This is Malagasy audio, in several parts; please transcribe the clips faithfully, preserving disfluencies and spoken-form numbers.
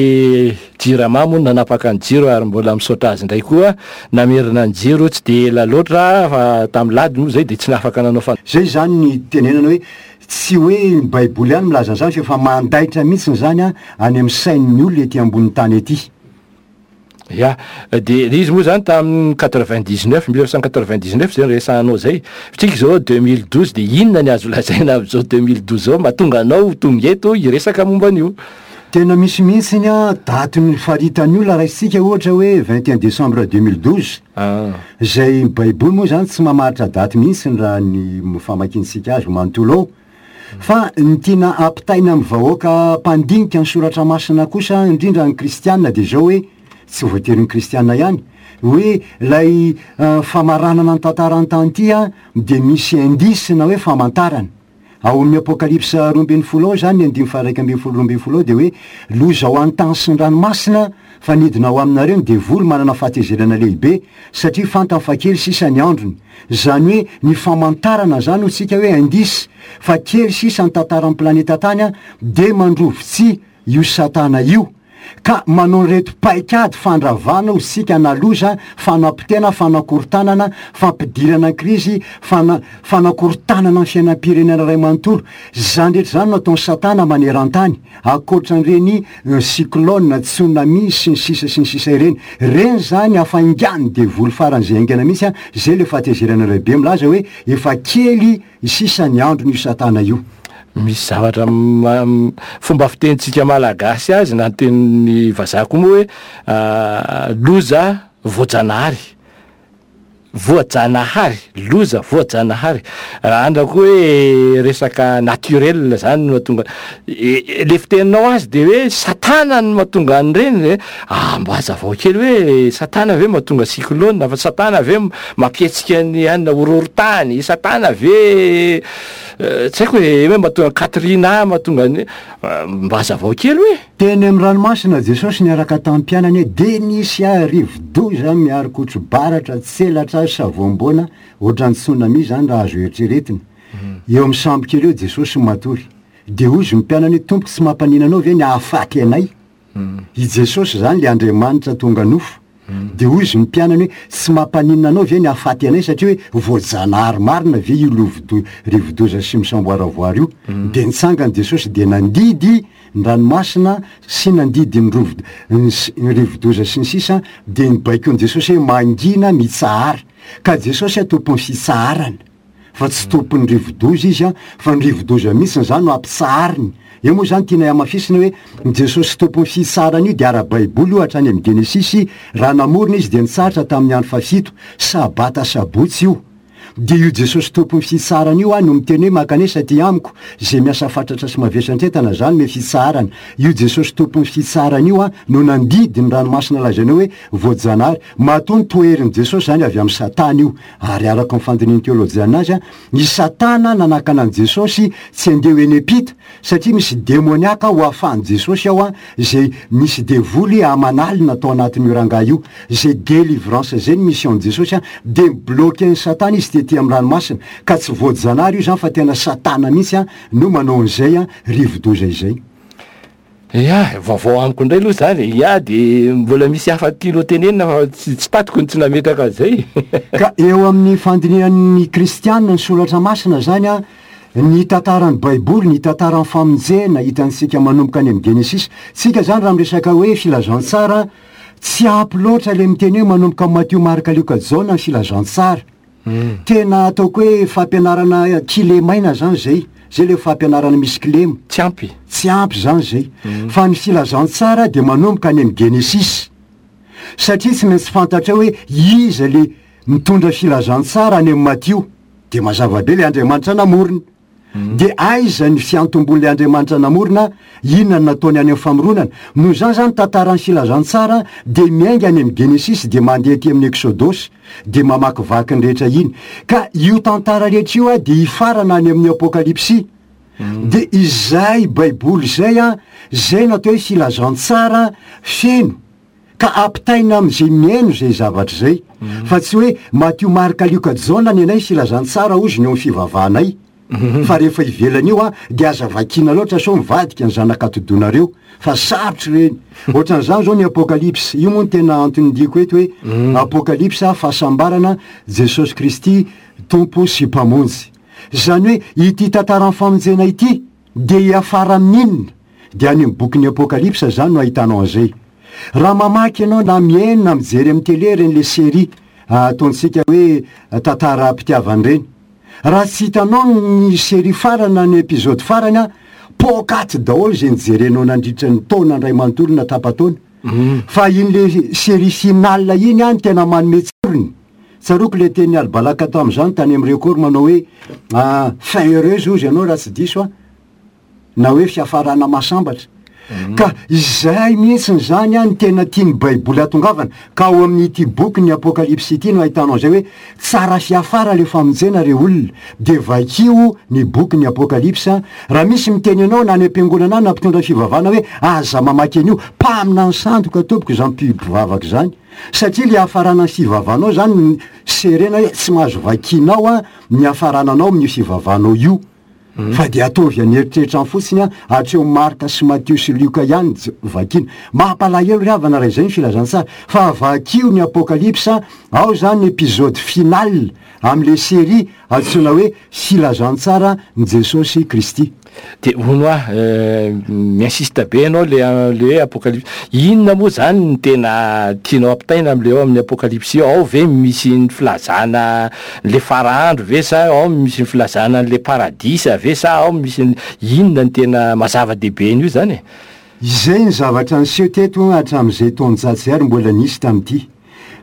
Jirama moa nanapaka ny jiro ary mbola misaotra azy indray koa namerina ny jiro tsy de ela loatra fa tamin'ny lady moa zay de tsy nafaka nanao fa Zay zany ny tenenana hoe tsy hoe ny Baiboly ihany milaza an'izany fa efa mandaitra mihitsiny zany a any amin'ny sain'ny olona ety ambony tany ety. Ya, de izy moa zany tamin'ny quatre-vingt-dix-neuf, mille neuf cent quatre-vingt-dix-neuf zay resahanao zay, tsika zao deux mille douze, de inona ny azo lazaina am'zao deux mille douze zao mahatonga anao tonga eto hiresaka momba an'io? Tena misy mihitsiny a daty ny faritany olona raisitsika ohatra hoe vingt et un décembre deux mille douze. Ah. Zay Baiboly moa zany tsy mamaritra daty mihitsy ny raha ny famakintsika azy manontolo ao, fa ny tiana ampitaina amy vahoaka mpandinika ny Soratra Masina kosa, indrindra ny kristianina, de zao hoe tsy voatery ny kristianina ihany, hoe lay uh, famaranana ny tantarantany ty a de misy indice na hoe famantarana ao amin'ny Apokalypsa roa ambin'ny folo ao zany, ny andimy faharaiky ambin'ny folo, roa ambin'ny folo ao, de hoe loza ho an'ny tany sy ny ranomasina fa nidina ao aminareo ny devoly manana fahatezerana lehibe satria fantany fa kely sisa ny androny. Zany hoe ny famantarana zany ho tsika hoe indice fa kely sisa ny tantaran'ny planeta tany a de mandrovitsy io Satana io ka manao reto paikady fandravana ho sika na loza, fanapotena, fanakorotanana, fampidirana krizy, fana fanakorotanana ny fiainam-pirenena ray manontolo. Zany rehetra zany no ataony Satana maneran-tany, akoatran'ireny euh, cyclone, tsunami sy ny sisa sy ny sisa ireny. Reny zany afaingany devoly faran'zay aingana mihitsy a zay le fahatezerana lehibe milaza hoe efa kely sisa ny androny io Satana io. Misy zavatra ma- fomba fitenitsika malagasy azy na nytenin'ny vazaha koa moa hoe ah, loza voajanahary voajanahary loza voajanahary, raha andra koa hoe resaka naturel zany no mahatonga e- le fiteninao azy, de hoe Satana no mahatonga an'ireny e. Ah, mba hazavao kely hoe Satana ve mahatonga cyclone, fa Satana ve mampietsika ny anina horohorontany, Satana ve eh, tsy haiko hoe hoe mahatonga Katrina, mahatonga ny eh, mba hazavao kely hoe. Teny amy ranomasina Jesosy niaraka tamin'ny mpianany hoe de nisy a rivodoza miarikotro, baratra, tselatra, savoamboana, ohatrany tsunami zany raha azo eritreretina. Eo amy sambo kely eo Jesosy matory, de ozy ny mpianany hoe: "Tompoko, tsy mampanina anao ve ny ahafaty anay?" I Jesosy zany le Andriamanitra tonga nofo, de ozy ny mpianany hoe: "Tsy mampaninona anao ve ny ahafaty anay?" Satria hoe voajanahary marina ve io lovodo rivodoza sy misamboaravoary io? De nitsangany Jesosy, de nandidy ny ranomasina sy nandidy ny rovo ny s- ny rivodoza sy ny sisa, de ny baikony Jesosy hoe: "Mangina, mitsahara." Ka Jesosy a tompon'ny fitsaharana fa tsy tompon'ny rivodoza izy a fa ny rivodoza mihitsiny zany no ampitsahariny eo. Moa zany tiana amafisina hoe ny Jesosy tompon'ny fitsaharana io de ara-baiboly io. Hatrany amy Genesisy, raha namorona izy de nitsahatra tamin'ny andro fahafito, sabata, sabotsy io. De io Jesosy tompon'ny fitsaharana io a no miteny hoe: "Mankanesa aty amiko zay miasa fatratra sy mavesantretana", zany me fitsaharana io. Jesosy tompon'ny fitsaharana io a no nandidy ny ranomasina lazainao hoe voajanahary. Matoa ny toherin'i Jesosy zany avy amy Satana io, ary araka ny fandininy teolojiana azy a ny Satana nanakana an' Jesosy tsy andeha ho eny ampita satria misy demoniaka ho ahafahan' Jesosy ao a zay misy devoly amanalina atao anatin'io rangahy io. Zay délivrance zay ny mission Jesosy a de mi-bloquer ny Satana izy tety amy ranomasina. Ka tsy voajanahary io zany fa tena Satana mihitsy a no manao an'izay a rivodoza izay. Ya, vaovao amiko indray aloha zany ya, de mbola misy hafa tianao tenenina fa tsy tsy tatiko ny tsy nametraka an'izay. Ka eo amin'ny fandinihan'ny kristianina ny Soratra Masina zany a ny tantaran'ny Baiboly, ny tantaran'ny famonjena hitantsika manomboka any amy Genesisy tsika zany, raha miresaka hoe filazantsara, tsy ampy loatra le miteny hoe manomboka amy Matio, Marka, Lioka, Jaona ny filazantsara. Tena ataoko hoe fampianarana kilemaina zany zay zay le fampianarana misy kilema. Tsy ampy. Tsy ampy zany zay, fa ny filazantsara de manomboka any amy Genesisy, satria tsy maintsy fantatra hoe iza le mitondra filazantsara any amy Matio. De mazava be, le Andriamanitra namorona. De aiza ny fiantombon'le Andriamanitra namorona? Inona ny nataony any amy famoronana? Noho zany zany tantaran'ny filazantsara de miainga any amy Genesisy, de mandeha aty amin'ny Eksodosy, de mamakivaky ny rehetra iny. Ka io tantara rehetra io a de hifarana any amin'ny Apokalypsy. De izay Baiboly zay a zay natao hoe filazantsara feno ka ampitaina am'izay miaino zay zavatra zay, fa tsy hoe Matio, Marka, Lioka, Jaona ny anay filazantsara ozy ny eo amy fivavahanay. Fa rehefa ivelany io a dia aza vakiana loatra sao mivadika ny zanak'atodonareo fa sarotry reny. Ohatran'izany zao ny Apokalypsy. Io moa no tena antony diako eto hoe Apokalypsy fahasambarana Jesosy Kristy Tompo sy Mpamonjy. Zany hoe ity tantaran'ny famonjena ity dia hiafara amin'inona? Dia any amin'ny bokin'ny Apokalypsy zany no ahitanao an'izay. Raha mamaky ianao na mihaino na mijery amin'ny télé reny le série ataontsika hoe tantara-pitiavana reny. Raha tsy hitanao ny série farany na ny épisode farany a, pokaty daholo izay nijerenao nandritra ny taona indray manontolo na tapa-taona. Fa iny le série finale iny a no tena manome tsirony. Tsaroako le teny Albalaka tamin'izany tany amin'ny record manao hoe fin heureuse ozy ianao raha tsy diso a, na hoe fiafarana mahasambatra. Ka izay mihitsy zany a ny tena tian'ny Baiboly atongavana. Ka ao amin'ity boky ny Apokalypsy ity no ahitanao izay hoe tsara fiafara le famonjena re olona. De vakio ny boky ny Apokalypsy. Raha misy miteny anao na any am-piangonana na mpitondra fivavahana hoe aza mamaky an'io, mpaminany sandoka tompoko izany mpivavaka izany. Satria le hafarana ny fivavahanao zany serena hoe tsy mahazo vakinao a ny hafarananao amin'io fivavahanao io. Fa dia ataovy an'eritreritra fotsiny a, hatreo Marka sy Matio sy Lioka ihany vakina. Mampalahelo ry havana raha izay ny filazantsara. Fa vakio ny Apokalypsy, ao zany épisode final amin'le série antsoina hoe filazantsara ny Jesosy Kristy. De hono ah, mi-insiste be ianao le le hoe Apokalypsy. Inona moa zany ny tena tianao ampitaina am'le ao amin'ny Apokalypsy io? Ao ve misy ny filazana le faraandro ve sa ao misy ny filazana an'le paradisa ve sa ao misy ny inona ny tena mazava-dehibe an'io zany e? Izay ny zavatra niseho teto hatramin'izay taonjato izay ary mbola nisy tamin'ity.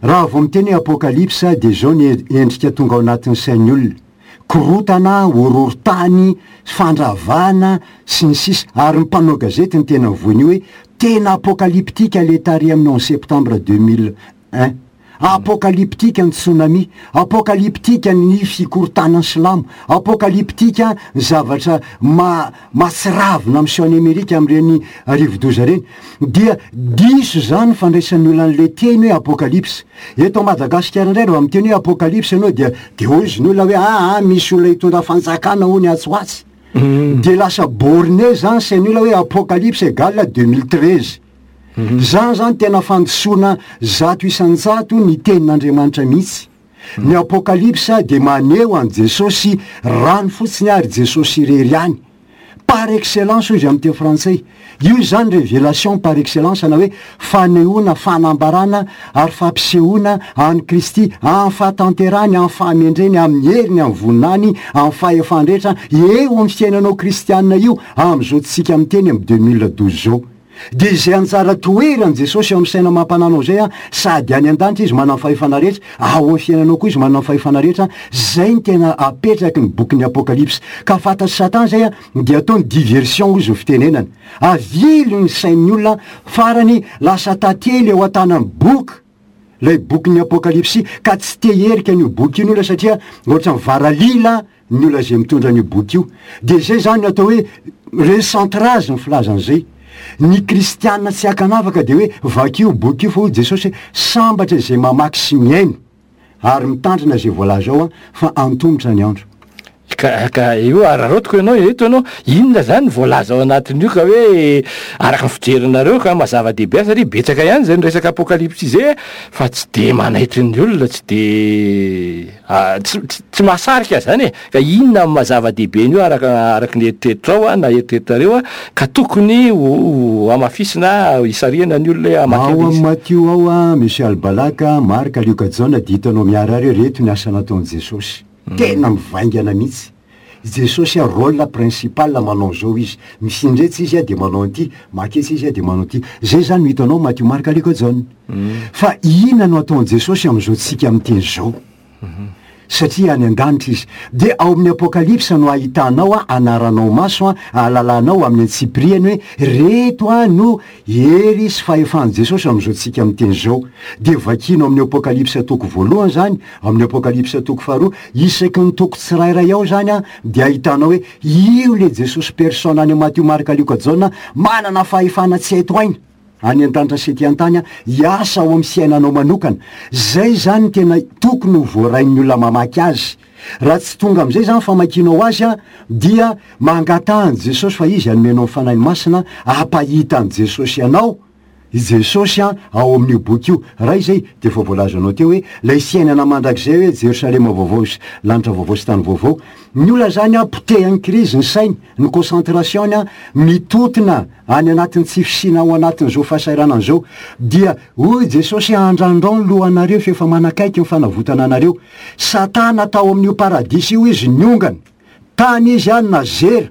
Raha vao miteny hoe Apokalypsy dia izao ny endrika tonga ao anatin'ny sain'ny olona. Korotana, horohorontany, fandravana sy ny sisa. Ary ny mpanao gazety ny tena voiny io hoe tena apokalyptika le tary amin'ny onze septembre deux mille un. Apokalyptika ny tsunami, apokalyptika ny fikorontanan'ny silamo, apokalyptika ny zavatra ma-, mahatsiravina miseho any Amerika amin'ireny rivodoza ireny. Dia diso zany fandraisan'ny olona an'ilay teny hoe apokalypsy. Eto Madagasikara indray raha miteny hoe apokalypsy ianao dia, dia hoy izy ny olona hoe ah, ah, misy olona hitondra fanjakana hono atsy ho atsy. Dia lasa borné zany sain'ny olona hoe apokalypsy égale deux mille treize. Zany zany tena fandisoana zato isan-jato ny tenin'Andriamanitra mihitsy. Ny apokalypsy dia maneho an'i Jesosy rano fotsiny ary Jesosy irery ihany. Par excellence hoy izy amin'ny teny frantsay. Io zany révélation par excellence na hoe fanehoana, fanambarana ary fampisehoana an'i Kristy amin'ny fahatanterahany, amin'ny fahamendreny, amin'ny heriny, amin'ny voninahiny, amin'ny fahefany rehetra eo amin'ny fiainanao kristianina io amin'izao tsika miteny amin'ny deux mille douze zao. Dia izay anjara toeran'i Jesosy eo amin'ny saina mampananao izay a, sady any an-danitra izy manana fahefana rehetra, ao amin'ny fiainanao koa izy manana fahefana rehetra, zay ny tena apetraky ny bokin'ny Apokalypsy. Ka fantatry Satan zay a, dia ataony diversion hozy ny fitenenana. Avily ny sain'ny olona, farany lasa tantely eo an-tanan'ny boky, ilay bokin'ny Apokalypsy, ka tsy te herika an'io boky io ny olona satria ohatran'ny varalila ny olona izay mitondra an'io boky io. Dia izay zany no atao hoe recentrage ny filazan'izay. Ny kristianina tsy ankanavaka dia hoe vakio boky io fa hoy Jesosy hoe sambatra izay mamaky sy mihaino ary mitandrina izay voalaza ao a, fa antomotra ny andro. Ka, ka io araraotiko ianao eto ianao, inona zany voalaza ao anatin'io ka hoe araka ny fijerinareo ka mazava-dehibe azy satria betsaka ihany zay ny resaka apokalypsy izay fa tsy de manaitry ny olona, tsy de, ah, tsy, tsy, tsy mahasarika zany e. Ka inona ny mazava-dehibe an'io araka, araka ny eritreritrao a, na eritreritrareo a, ka tokony ho, ho hamafisina, hisarihana ny olona hoe hamaky Ao an'izy. amin'ny Matio ao a, Monsieur Albalaka, Marka, Lioka, Jaona dia hitanao miharihary hoe reto ny asa nataon'i Jesosy. Tena mivaingana mihitsy. Jesosy a rôle principal manao zao izy. Mifindretsy izy a dia manao an'ity, maketsy izy a dia manao an'ity. Zay zany no hitanao Matio, Marka, Lioka, Jaona. Fa inona no ataon'i Jesosy amin'izao tsika miteny zao? Satria any an-danitra izy. Dia ao amin'ny Apokalypsy no ahitanao a, anaranao maso a, ahalalanao amin'ny antsipiriany hoe reto a no hery sy fahefan'i Jesosy amin'izao tsika miteny zao. Dia vakianao amin'ny Apokalypsy toko voalohany zany, amin'ny Apokalypsy toko faharoa, isaky ny toko tsirairay ao zany a, dia ahitanao hoe io le Jesosy personne any Matio, Marka, Lioka, Jaona manana fahefana tsy haito aina any an-danitra sy ety an-tany hiasa ao amin'ny fiainanao manokana. Zay zany tena tokony ho voarain'ny olona mamaky azy. Raha tsy tonga amin'izay zany famakianao azy a, dia mangataha an'i Jesosy fa izy hanomenao ny Fanahy Masina hampahita an'i Jesosy anao. I Jesosy a ao amin'io boky io. Raha izay dia efa voalazanao teo hoe ilay fiainana mandrakizay hoe Jerosalema vaovao sy lanitra vaovao sy tany vaovao. Ny olona zany a potehan'ny krizy ny sainy, ny concentration-ny a mitotona any anatin'ny tsy fisiana ao anatin'izao fahasahiranana izao. Dia hoy Jesosy, andrandrao ny lohanareo fa efa manakaiky ny fanavotana anareo. Satana tao amin'io paradisa io izy niongana. Tany izy a nazera.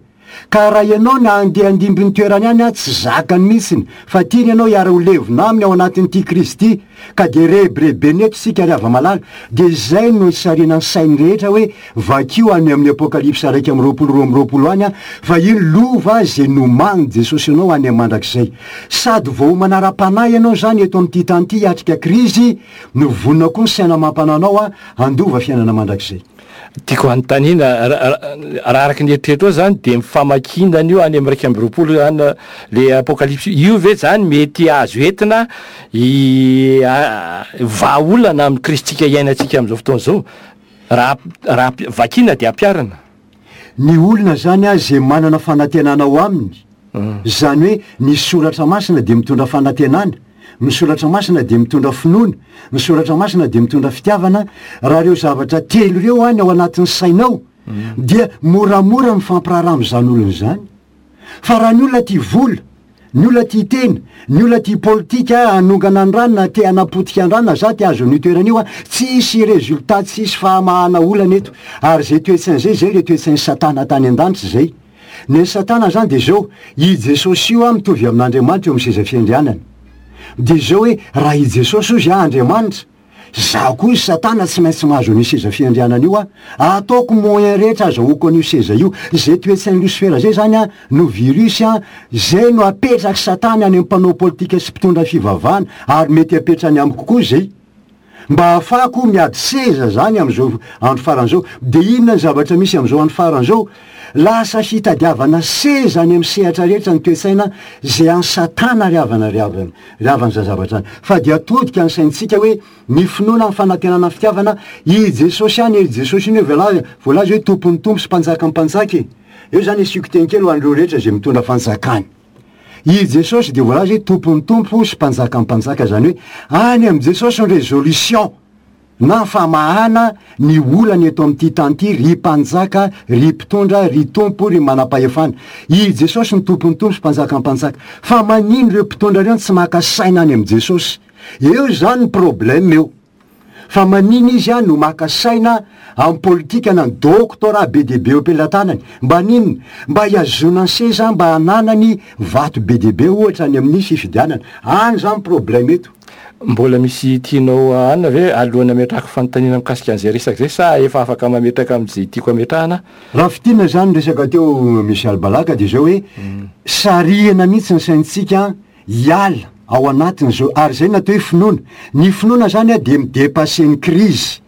Ka raha ianao na andeha handimby ny toerany any, tsy zakany mihitsiny, fa tiany ianao hiara ho levona aminy ao anatin'ity krizy ity, ka dia rebirebena eto isika ry hava-malala. Dia izay no isarihana ny sainy rehetra hoe vakio any amin'ny Apokalypsa iraika amby roapolo roa amby roapolo any, fa iny lova izay nomanin'i Jesosy anao any amin'ny mandrakizay. Sady voaomana ara-panahy ianao izany eto amin'ity tany ity hiatrika krizy, no vonona koa ny saina amam-panahinao handova fiainana mandrakizay. Tiako hanontaniana, raha araka ny eritreritrao zany dia mifamakiana an'io any amin'ny iraika amby roapolo any le Apokalypsy io ve zany mety azo entina i, a, vahaolana amin'ny kristika iainantsika amin'izao fotoana izao, raha, raha vakina dia ampiharina? Ny olona zany a izay manana fanantenana ao aminy, zany hoe ny soratra masina dia mitondra fanantenana, ny soratra masina dia mitondra finoana, ny soratra masina dia mitondra fitiavana. Raha ireo zavatra telo ireo any ao anatin'ny sainao, dia moramora mifampiraharaha amin'izany olona izany. Fa raha ny olona tia vola, ny olona tia tena, ny olona tia politika hanongana ny rano na te hanapotika ny rano na za te hahazo an'io toerana io, tsisy résultat, tsisy fahamahana olana eto. Ary izay toe-tsaina izay, izay le toe-tsain'ny Satana tany an-danitra izay. Ny Satana zany dia izao, i Jesosy io mitovy amin'Andriamanitra eo amin'ny seza fiandrianana. Dia izao hoe raha i Jesosy ozy Andriamanitra, zaho koa i Satana tsy maintsy mahazo an'io seza fiandrianana io aho. Ataoko moyen rehetra azahoako an'io seza io. Izay toe-tsain'ny Losifera zay zany a no virus a, zay no apetraky Satana any amin'ny mpanao politika sy mpitondra fivavahana, ary mety apetrany amiko koa zay. Mba ahafahako miady seza zany amin'izao andro farany izao. Dia inona ny zavatra misy amin'izao andro farany izao? Lasa fitadiavana seza any amin'ny sehatra rehetra ny toe-tsaina izay an'i Satana ry havana, ry havana, ry havana izany zavatra izany. Fa dia atodika ny saintsika hoe ny finoana, ny fanantenana, ny fitiavana, i Jesosy ihany, i Jesosy iny hoe voalaza, voalaza hoe tompon'ny tompo sy mpanjakan'ny mpanjaka e. Eo zany asiako teny kely ho an'ireo rehetra izay mitondra fanjakana. I Jesosy dia voalaza hoe tompon'ny tompo sy mpanjakan'ny mpanjaka, zany hoe any amin'i Jesosy ny résolution na famahana ny olana eto amin'ity tany ity, ry mpanjaka, ry mpitondra, ry tompo, ry manam-pahefana. I Jesosy ny tompon'ny tompo sy mpanjakan'ny mpanjaka. Fa manino ireo mpitondra ireo tsy maka saina any amin'i Jesosy? Eo zany ny problème eo. Fa manino izy a no maka saina amin'ny politika na ny doctorat be dia be eo am-pelatanany? Mba ninona? Mba hihazonany ny seza, mba hananany vato be dia be ohatra any amin'ny fifidianana. Any zany problème eto. Mbola misy tianao anina ve alohan'ny ametrahako fanontaniana mikasika an'izay resaka izay, sa efa afaka mametraka amin'izay tiako ametrahana? Raha fintinina zany resaka teo Michel Balaka dia izao hoe sarihana mihitsy ny saintsika hiala ao anatin'izao, ary izay natao hoe finoana. Ny finoana zany a dia midépasser ny crise.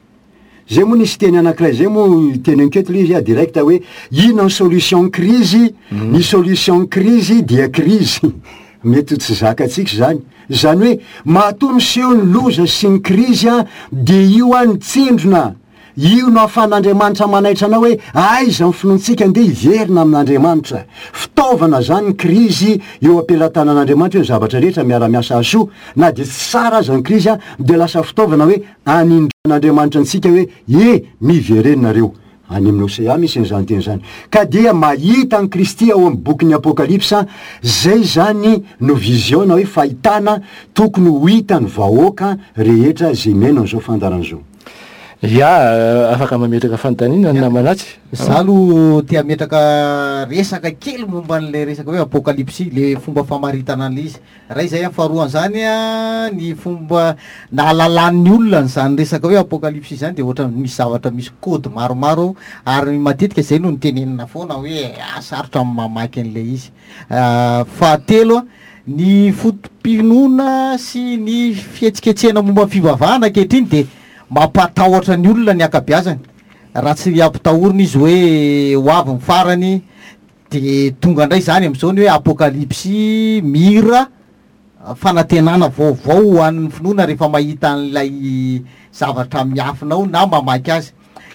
Zay moa nisy teny anankiray zay moa teny anketo le izy a direct hoe inona ny solution crise? Ny solution crise dia crise. Mety tsy zakantsika zany. Zany hoe matoa miseho ny loza sy ny crise a dia io a ny tsindrona. Io no ahafahan'Andriamanitra manaitra anao hoe aiza ny finoantsika, andeha hiverina amin'Andriamanitra. Fitaovana zany ny krizy eo am-pelatanan'Andriamanitra, hoe ny zavatra rehetra miara-miasa hasoa. Na dia tsy tsara aza ny krizy a, dia lasa fitaovana hoe anindran'Andriamanitra antsika hoe e, miverenareo. Any amin'ny Hosea misy an'izany teny izany. Ka dia mahita an'i Kristy ao amin'ny bokin'ny Apokalypsa, zay zany no vision na hoe fahitana tokony ho hitan'ny vahoaka rehetra izay miaina an'izao fandaharana izao. Ya, afaka mametraka fanontaniana ny namana atsy. Za aloha te hametraka resaka kely momba an'ilay resaka hoe Apokalypsy, le fomba famaritana an'ilay izy. Raha izay amin'ny faharoan'izany a, ny fomba nahalalan'ny olona an'izany resaka hoe Apokalypsy izany dia ohatran'ny misy zavatra misy code maromaro, ary matetika izay no nitenenina foana hoe ah, sarotra ny mamaky an'ilay izy. Ah, fahatelo a, ny foto-pinoana sy ny fihetsiketsehana momba ny fivavahana ankehitriny dia mampatahotra ny olona ny ankabeazany. Raha tsy ampitahorina izy hoe ho avy ny farany, de tonga indray zany amin'izao ny hoe Apokalypsy, mira, fanantenana vaovao ho an'ny finoana rehefa mahita an'ilay zavatra miafina ao na mamaky azy.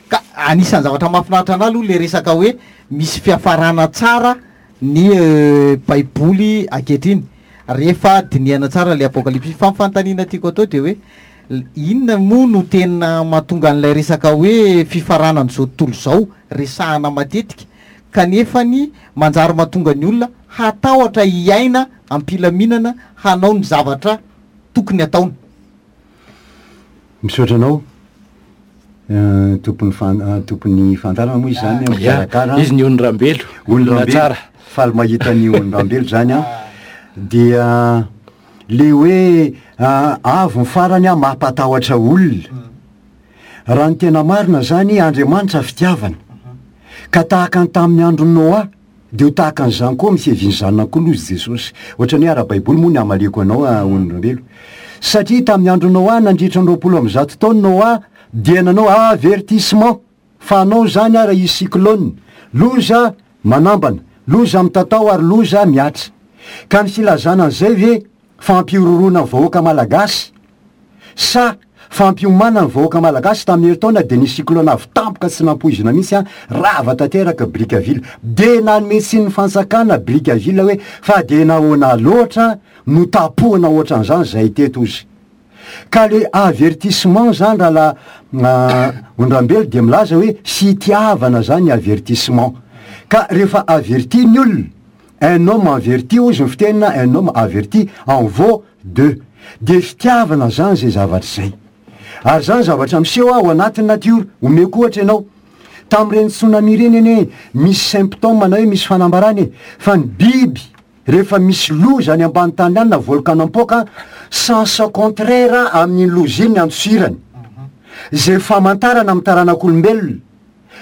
Ka anisan'ny zavatra mahafinaritra anahy aloha le resaka hoe misy fiafarana tsara ny Baiboly ankehitriny rehefa dinihana tsara le Apokalypsy. Fa ny fanontaniana tiako atao de hoe inona moa no tena mahatonga an'ilay resaka hoe fifaranan'izao tontolo izao resahana matetika kanefa ny manjary mahatonga ny olona hatahotra hiaina am-pilaminana hanao ny zavatra tokony ataony? Misaotra anao tompony fan- tompony fantarana moa izy zany mikarakara. Izy ny Onirambelo. Onirambelo tsara. Faly mahita ny Onirambelo zany a. Dia le hoe avo ny farany a mampatahotra olona. Raha ny tena marina zany, Andriamanitra fitiavana. Ka tahaka ny tamin'ny andron'i Noa, de ho tahaka an'izany koa misy fiavian'ny zanak'olona izy Jesosy. Ohatrany hoe ara-baiboly moa ny amaliako anao Onirambelo. Satria tamin'ny andron'i Noa, nandritra ny roapolo amby zato taona Noa dia nanao avertissement fa anao zany ara hisy cyclone, loza manambana, loza mitatao ary loza miatra. Ka ny filazana an'izay ve fampihorohoroana ny vahoaka malagasy sa fampiomanana ny vahoaka malagasy? Tamin'ny herintaona de nisy cyclone avy tampoka tsy nampoizina mihitsy a, rava tanteraka Brickaville. De nanome tsiny ny fanjakana Brickaville hoe fa de nahoana loatra no tapohana ohatran'izany zay teto izy. Ka le avertissement zany raha la Ondrambelo de milaza hoe fitiavana zany ny avertissement. Ka rehefa averti ny olona, un homme averti hozy ny fitenina, un homme averti en vaut deux. De fitiavana zany zay zavatra zay. Ary zany zavatra miseho ao anatin'ny natiora. Omeko ohatra ianao, tamin'ireny tsunami ireny anie misy symptôme na hoe misy fanambarana e, fa ny biby rehefa misy loza any ambany tany any na volcan mipoaka, sens contraire amin'iny loza iny ny andosirany. Zay famantarana amin'ny taranak'olombelona.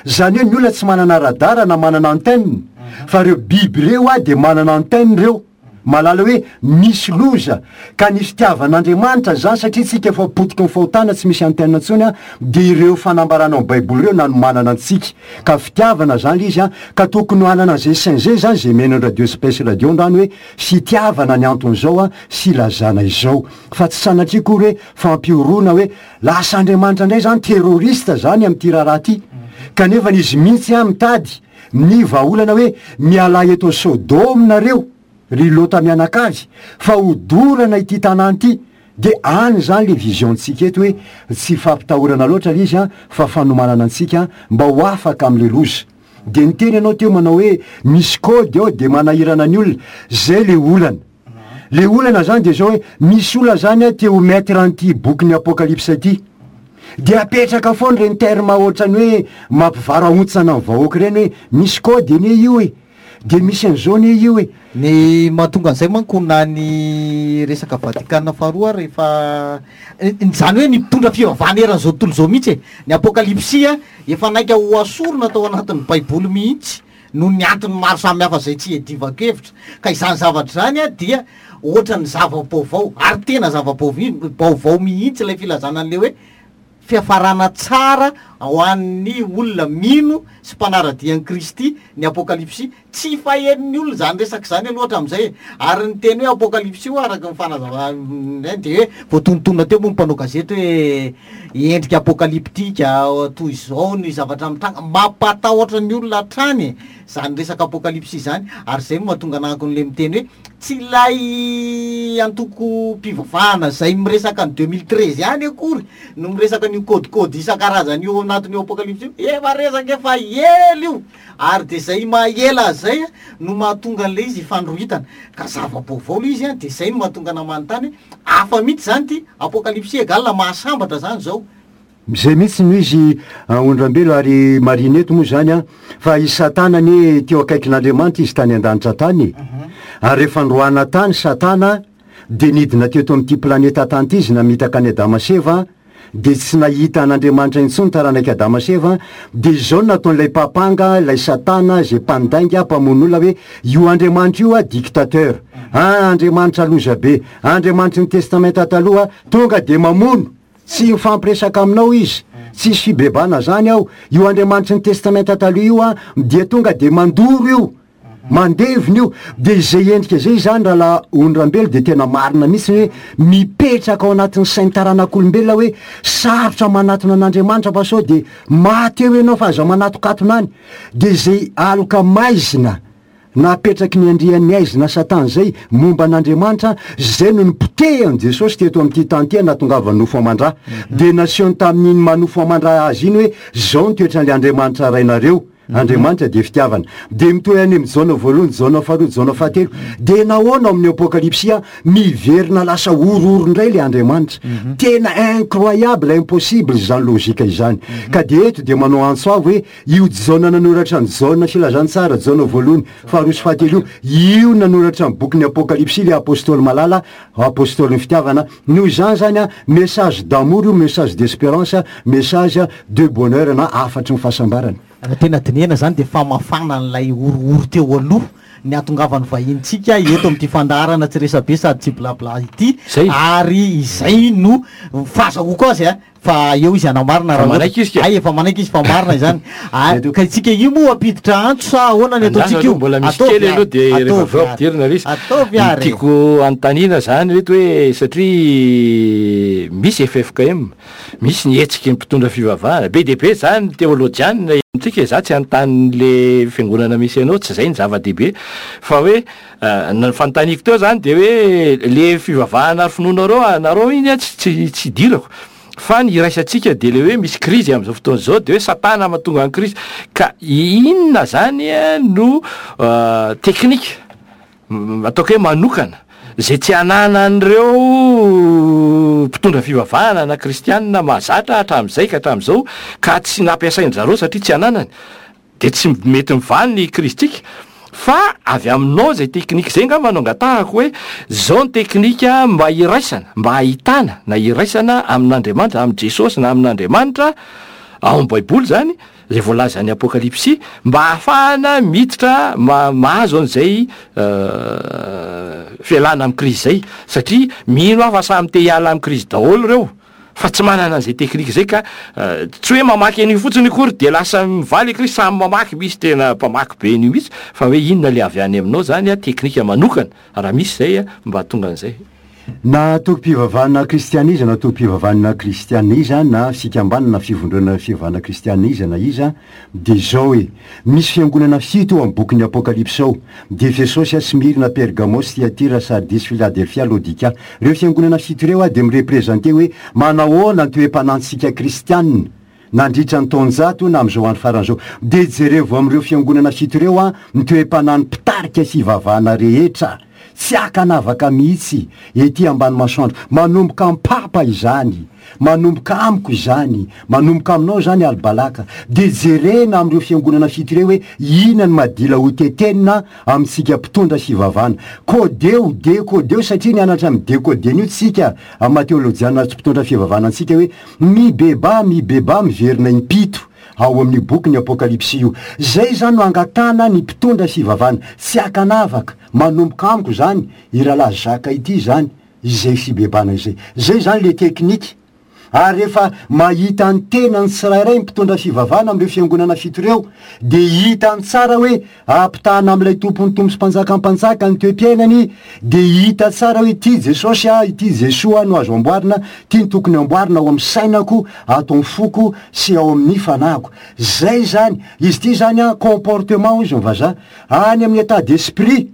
Zany hoe ny olona tsy manana radar na manana antenne, fa ireo biby ireo a de manana antenne ireo, mahalala hoe misy loza. Ka ny fitiavan'Andriamanitra zany, satria tsika efa potiky ny fahotana tsy misy antenne intsony a, de ireo fanambarana ao Baiboly ireo nanomanana antsika. Ka fitiavana zany izy a, ka tokony hanana an'izay sain zay zany zay mihaino Radio Space Radio androany hoe fitiavana ny anton'izao a sy ilazana izao, fa tsy sanatria akory hoe fampihorohoroana hoe lasa Andriamanitra indray zany terroriste zany amin'ity raharaha ty. Kanefa izy mihitsy a mitady ny vahaolana hoe miala eto Sodoma nareo ry Lota mianakavy fa hodorana ity tanàna ity. De any zany le vision-tsika eto hoe tsy fampitahorana loatra le izy a, fa fanomanana antsika mba ho afaka am'le loza. De niteny ianao teo manao hoe misy code ao de manahirana ny olona. Zay le olana. Le olana zany de zao hoe misy olona zany a te ho maître an'ity bokin'ny Apokalypse ity. De apetraka foana ireny terme ohatrany hoe mampivarahontsana ny vahoaka ireny hoe misy code anie io e, de misy an'izao anie io e. Ny mahatonga an'izay manko na ny resaka Vatikana faharoa rehefa zany hoe ny mpitondra fivavahana eran'izao tontolo izao mihitsy e, ny Apokalypsy a efa naika ho asorina tao anatin'ny Baiboly mihitsy noho ny antony maro samihafa zay tsy iadivako hevitra. Ka izany zavatra zany a dia ohatran'ny zava-baovao, ary tena zava-baovao mihitsy ilay filazana an'le hoe fiafarana tsara ho an'ny olona mino sy mpanara-dia an'i Kristy ny Apokalypsy. Tsy fahen'ny olona zany resaka zany aloha hatramin'izay e. Ary ny teny hoe Apokalypsy io araka ny fanazavana de hoe voatonontonona teo moa ny mpanao gazety hoe endrika apokalyptika toy izao ny zavatra mitranga, mampatahotra ny olona hatrany zany resaka Apokalypsy zany. Ary zay no mahatonga anahako an'le miteny hoe tsy ilay antoko mpivavahana zay miresaka ny deux mille treize ihany akory no miresaka an'io code-code isan-karazany io anatin'io Apokalypsy io, efa resaka efa ela io. Ary de zay maha-ela azy zay no mahatonga an'le izy ifandrohitana. Ka zava-baovao le izy a, de zay no mahatonga ana manontany hoe hafa mihitsy zany ty Apokalypsy égal mahasambatra zany zao. Zay mihitsy no izy Ondrambelo. Ary marineto moa zany a fa i Satana anie teo akaikin'Andriamanitra izy tany an-danitra tany. Ary rehefa noroahana tany Satana de nidina teto amin'ity planeta tany ity izy namitaka any Adama sy Eva, de tsy nahita an'Andriamanitra intsony taranaka Adama sy Eva. De izao no nataon'ilay mpampanga, ilay Satana zay mpandainga mpamono olona, hoe io Andriamanitra io a dictateur, ah Andriamanitra loza be, Andriamanitry ny Testamenta taloha tonga de mamono, tsy mifampiresaka aminao izy, tsisy fibebana zany ao. Io Andriamanitry ny Testamenta taloha io a dia tonga de mandoro io. Mandevina io. De izay endrika zay zany rahalahy Ondrambelo de tena marina mihitsy hoe mipetraka ao anatin'ny sain'ny taranak'olombelona hoe sarotra manatona an'Andriamanitra fa sao de maty eo ianao fa aza manatokatona any. De izay aloka maizina napetraky ny andrian'ny aizina Satana zay momba an'Andriamanitra, zay no nipotehan'i Jesosy teto amin'ity tany ity nahatongavany nofo aman-dra. De nasehony tamin'iny manofo aman-dra azy iny hoe zao ny toetran'ilay Andriamanitra rainareo. Andriamanitra dia fitiavana. De mitohy any amin'ny Jaona voalohany, Jaona faharoa, Jaona fahatelo. De nahoana ao amin'ny Apokalypsy miverina lasa horohoro indray ilay Andriamanitra. Tena incroyable, impossible izany logique izany. Ka de eto de manao antso avo hoe io Jaona nanoratra ny Jaona filazantsara, Jaona voalohany, faharoa sy fahatelo io, io nanoratra ny bokin'ny Apokalypsy ilay apôstôly malala, apôstôly ny fitiavana. Noho izany zany a, message d'amour io, message d'espérance, message de bonheur na hafatry ny fahasambarana. Raha tena dinihana zany de famafana an'ilay horohoro teo aloha ny ahatongavan'ny vahintsika eto amin'ity fandaharana tsy resabe sady tsy blabla ity. Zay. Ary izay no fahazahoako azy a, fa eo izy anamarina Fa raha manaiky izy ka. Ay, efa manaiky izy fa marina izany. Ah, ka itsika io moa ampiditra antso sa ahoana ny ataontsika io? Mbola misy Ataovy kely aloha ary. de rehefa Ataovy avy eo ary. ampidirina ilay izy. Ataovy ary. Tiako anontaniana zany reto hoe satria misy F F K M, misy ny hetsiky ny mpitondra fivavahana be dia be zany teolojianina amintsika, za tsy anontany le fiangonana misy anao, tsy zay ny zava-dehibe fa hoe, eh, ny fanontaniako teo zany de hoe le fivavahana ary finoanareo, anareo iny a, tsy, tsy, tsy idirako. Fa ny iraisantsika de le hoe misy krizy amin'izao fotoana izao, de hoe Satana mahatonga ny krizy. Ka inona zany a no, eh, teknika, m-, ataoko hoe manokana, zay tsy ananan'ireo mpitondra fivavahana na kristianina mahazatra hatramin'izay ka hatramin'izao, ka tsy nampiasain-dry zareo satria tsy ananany, de tsy mety mivaly ny kristika. Fa avy aminao zay teknika zay angamba no angatahako hoe zao ny teknika mba hiraisana, mba hahitana na hiraisana amin'Andriamanitra, amin'i Jesosy na amin'Andriamanitra ao amin'ny Baiboly zany, zay voalazan'ny Apokalypsy, mba hahafahana miditra ma-, mahazo an'izay, euh, fialana amin'ny krizy zay, satria mino aho fa samy te hiala amin'ny krizy daholo ireo, fa tsy manana an'izay teknika zay ka, euh, tsy hoe mamaky an'io fotsiny akory de lasa mivaly krizy, samy mamaky, misy tena mpamaky be an'io mihitsy, fa hoe inona le avy any aminao zany a, teknika manokana raha misy zay a, mba hahatonga an'izay. Na tokom-pivavahana kristiana iza, na tokom-pivavahana kristiana iza, na fikambanana na fivondronana fivavahana kristiana iza na iza, de zao hoe misy fiangonana fito ao amin'ny bokin'ny Apokalypsy ao, de Efesosy, Smyrna, Pergamos, Thyatira, Sardis, Philadelphia, Laodika. Ireo fiangonana fito ireo a de mireprésente hoe manahoana ny toe-panantsika kristianina nandritra ny taonjato na amin'izao andro farany izao. De jerevo amin'ireo fiangonana fito ireo a ny toe-panan'ny mpitarika fivavahana rehetra. Tsy akanavaka mihitsy ety ambany masoandro. Manomboka amin'ny papa izany, manomboka amiko izany, manomboka aminao izany Albalaka. De jerena amin'ireo fiangonana fito ireo hoe inona ny madila ho tetenina amintsika mpitondra fivavahana. Kodeo, dekodeo, satria nianatra amin'ny dekodena io tsika amin'ny maha teolojiana sy mpitondra fivavahana antsika hoe mibeba, mibeba, miverina impito ao amin'ny boky ny Apokalypsy io. Zay zany no angatahana ny mpitondra fivavahana. Tsy akanavaka, manomboka amiko zany, i rahalahy Jacques ity zany, izay fibebana izay. Zay zany le teknika. Ary rehefa mahita ny tenany tsirairay ny mpitondra fivavahana amin'ireo fiangonana fito ireo, de hitany tsara hoe ampitahana amin'ilay tompon'ny tompo sy mpanjaka mpanjaka ny toe-piainany, de hita tsara hoe ity Jesosy a, ity Jesoa no azo amboarina, ity ny tokony amboarina ao amin'ny sainako, ato amin'ny foko sy ao amin'ny fanahiko. Zay zany, izy ity zany a, comportement hoy izy ny vazaha, any amin'ny état d'esprit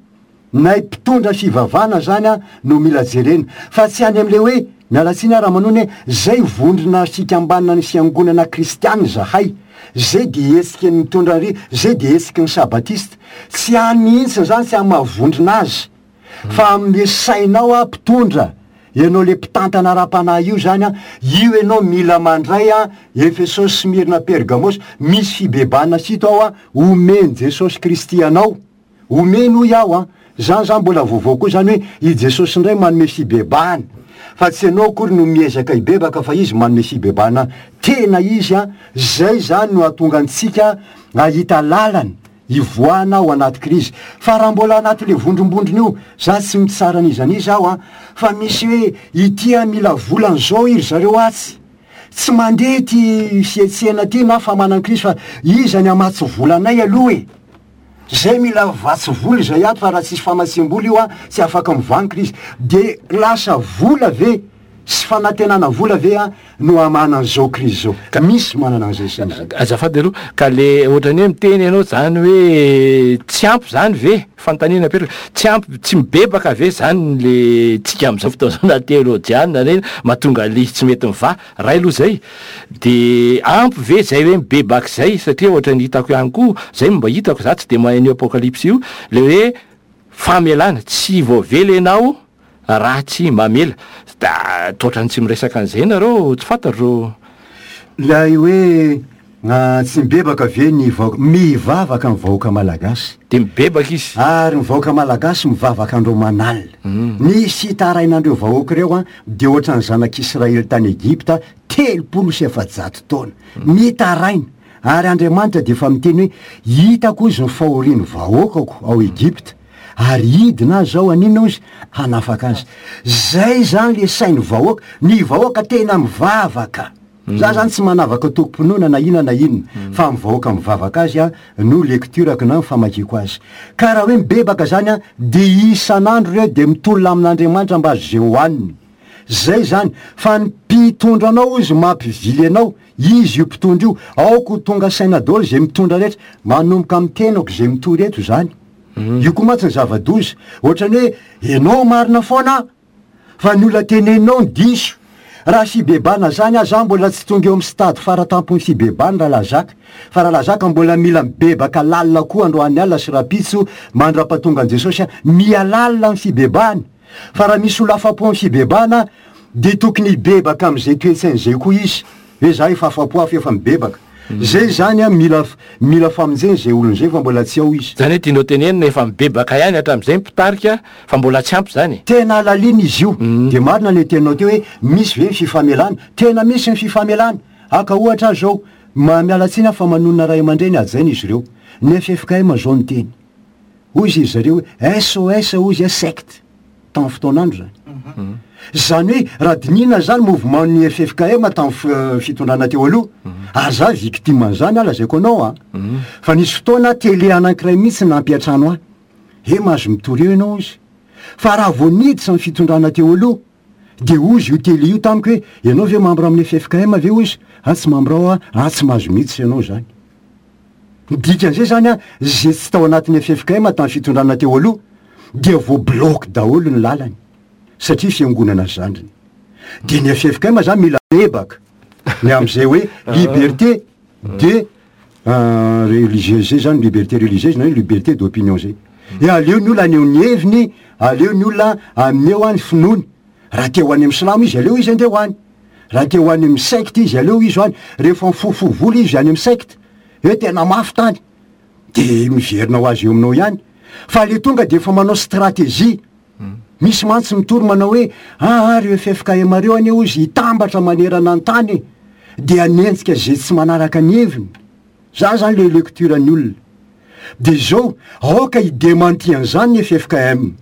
nay mpitondra fivavahana zany a no mila jerena, fa tsy any amin'ilay hoe miala tsiny aho raha manony hoe zay vondrona fikambanana ny fiangonana kristiana zahay, zay de hetsiky ny mitondra ry, zay de hetsiky ny sabatista. Tsy any mihitsy zany, tsy amin'ny mahavondrona azy, fa amin'ny sainao a mpitondra, ianao le mpitantana ara-panahy io zany a, io ianao mila mandray a Efesosy, Smyrna, Pergamos, misy fibebana fito ao a, omen'i Jesosy Kristy anao. Omeny hoy aho a, zany zany mbola vaovao koa zany hoe i Jesosy indray manome fibebahana, fa tsy ianao akory no miezaka hibebaka fa izy manome fibebahana tena izy a. Zay zany no hahatonga antsika hahita lalana hivoahana ao anaty krizy. Fa raha mbola anaty le vondrombondrona io, za tsy mitsara an'iza n'iza aho a, fa misy hoe ity a mila volan'izao iry zareo atsy, tsy mandeha ty fihetsehana ty na famanana krizy, fa iza ny hamatsy volanay aloha e. Zay mila vatsy vola izay ato, fa raha tsisy famatsiam-bola io a, tsy afaka mivaha ny krizy. De lasa vola ve sy fanantenana vola ve a no hamahana an'izao krizy zao? Misy manana an'izay saina zay. Azafady aloha, ka le ohatrany hoe miteny ianao zany hoe tsy ampy zany ve? Fanontaniana apetraka, tsy ampy, tsy mibebaka ve zany le tsika amin'izao fotoana izao na teolojiana reny mahatonga an'le izy tsy mety mivaha? Ray aloha zay. De ampy ve zay hoe mibebaka zay? Satria ohatrany hitako ihany koa, zay no mba hitako, za tsy de mahay an'io apokalypsy io, le hoe famelana, tsy voavela ianao raha tsy mamela. Da toatrany tsy miresaka an'izay nareo, tsy fantatro. Ilay hoe, ah, tsy mibebaka ve ny vahoaka? Mivavaka ny vahoaka malagasy. De mibebaka izy. Ary ny vahoaka malagasy mivavaka andro aman'alina. Mm. Ny fitarainan'ireo vahoaka ireo, ah, de ohatran'ny zanak'Israely tany Egypta telopolo sy efajato taona. Mm. Mitaraina. Ary Andriamanitra de efa miteny hoe hitako izy ny fahorian'ny vahoakako ao Egypta. Ary hidina azy zao haninona izy? Hanafaka azy. Zay zany le sain'ny vahoaka. Ny vahoaka tena mivavaka. Mm. Za zany tsy manavaka tokom-pinoana na inona na inona, Mm. fa ny vahoaka mivavaka azy a no lecturako na famakiako azy. Ka raha hoe mibebaka zany a, de isan'andro reo de mitolona amin'Andriamanitra mba azo zay hohaniny. Zay zany, fa ny mpitondra anao izy mampivily anao, izy io mpitondra io, aoka ho tonga saina daholo zay mitondra rehetra, manomboka amin'ny tenako zay mitory eto zany. Mm. Io koa mantsy ny zava-doza, ohatrany hoe ianao marina foana, fa ny olona teneninao ny diso. Raha fibebana zany aho, za mbola tsy tonga eo amin'ny stade faratampon'ny fibebana raha lazaka. Fa raha lazaka mbola mila mibebaka lalina koa androany alina sy rahampitso mandra-pahatonga an'i Jesosy a, miha lalina ny fibebana. Fa raha misy olona afa-po amin'ny fibebana, de tokony hibebaka amin'izay toe-tsaina izay koa izy. Hoe za efa afa-po aho fa efa mibebaka. Mm. Zay zany a, mila f-, mila famonjena izay olona izay fa mbola tsy ao izy. Zany hoe tianao tenenina efa mibebaka ihany hatramin'izay mpitarika fa mbola tsy ampy zany. Tena lalina izy io. Mm. De marina le teninao teo hoe misy ve ny fifamelana? Tena misy ny fifamelana. Aka ohatra aho zao, ma-, miala tsiny aho fa manonona ray aman-dreny hajaina izy ireo. Ny F F K M zao ny teny. Hoy izy zareo hoe S O S hoy izy, secte. Tamin'ny fotoan'andro zany. Mhm. Zany hoe raha dinihina zany mouvement ny F F K M tamin'ny f-, fitondrana teo aloha. Mhm. Ary za victime an'izany aho, lazaiko anao a. Mhm. Fa nisy fotoana télé anankiray mihitsy nampiantrano ahy. He, mahazo mitory eo ianao izy. Fa raha vao niditra ny fitondrana teo aloha, de hozy io télé io tamiko hoe ianao ve membre amin'ny F F K M ve hozy? Ah, tsy membre ao aho, ah, tsy mahazo mihitsy ianao zany. Ny dikan'izay zany a, zay tsy tao anatin'ny F F K M tamin'ny fitondrana teo aloha, dia voabloque daholo ny lalany, satria fiangonana zandriny. De ny F F K M zany mila mebaka ny amin'izay hoe liberté de, euh, religieuse zay zany, liberté religieuse na hoe liberté d'opinion zay. E aleo ny olona haneho ny heviny, aleo ny olona haneho any finoany. Raha te ho any amin'ny silamo izy, aleo izy andeha ho any. Raha te ho any amin'ny secte izy, aleo izy ho any. Rehefa mifofo vola izy any amin'ny secte, hoe tena mafy tany, de miverina ho azy eo aminao ihany. Fa le tonga de efa manao stratégie. Mm. Misy mantsy mitory manao hoe, ah, ah, reo F F K M reo anie hozy hitambatra manerana ny tany, de hanenjika zay tsy manaraka ny heviny. Zany zany le lecture ny olona. De zao, aoka hi-démenti an'izany ny F F K M.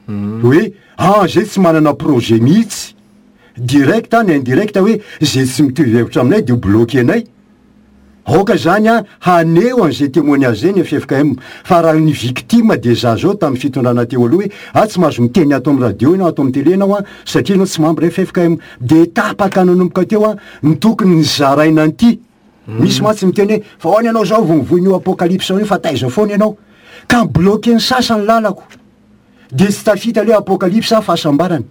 Mm. Hoe, ah, zay tsy manana projet mihitsy. Direct na indirect hoe, zay tsy mitovy hevitra aminay de ho bloqué anay. Aoka zany a, haneho an'izay témoignage zay ny F F K M. Fa raha ny victime de za zao tamin'ny fitondrana teo aloha hoe, ah, tsy mahazo miteny ato amin'ny radio ianao, ato amin'ny télé ianao a, satria ianao tsy membre F F K M. De tapaka nanomboka teo a, ny tokony nizaraina an'ity. Mm. Misy mantsy miteny hoe, fa hoany ianao zao vao mivoy io apokalypse io, fa taiza foana ianao. Ka bloqué ny sasany lalako. De tsy tafita le apokalypse fahasambarana.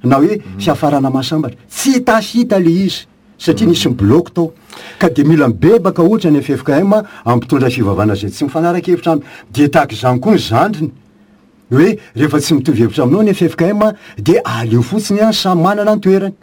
Na hoe Mm. fiafarana mahasambatra. Tsy tafita le izy. Satria Mm. nisy bloc tao. Ka de mila mibebaka ohatra ny F F K M ampitondra fivavahana zay tsy mifanaraka hevitra aminy. De tahaka izany koa ny zandriny. Hoe rehefa tsy mitovy hevitra aminao ny F F K M de aleo fotsiny a, samy manana ny toerany.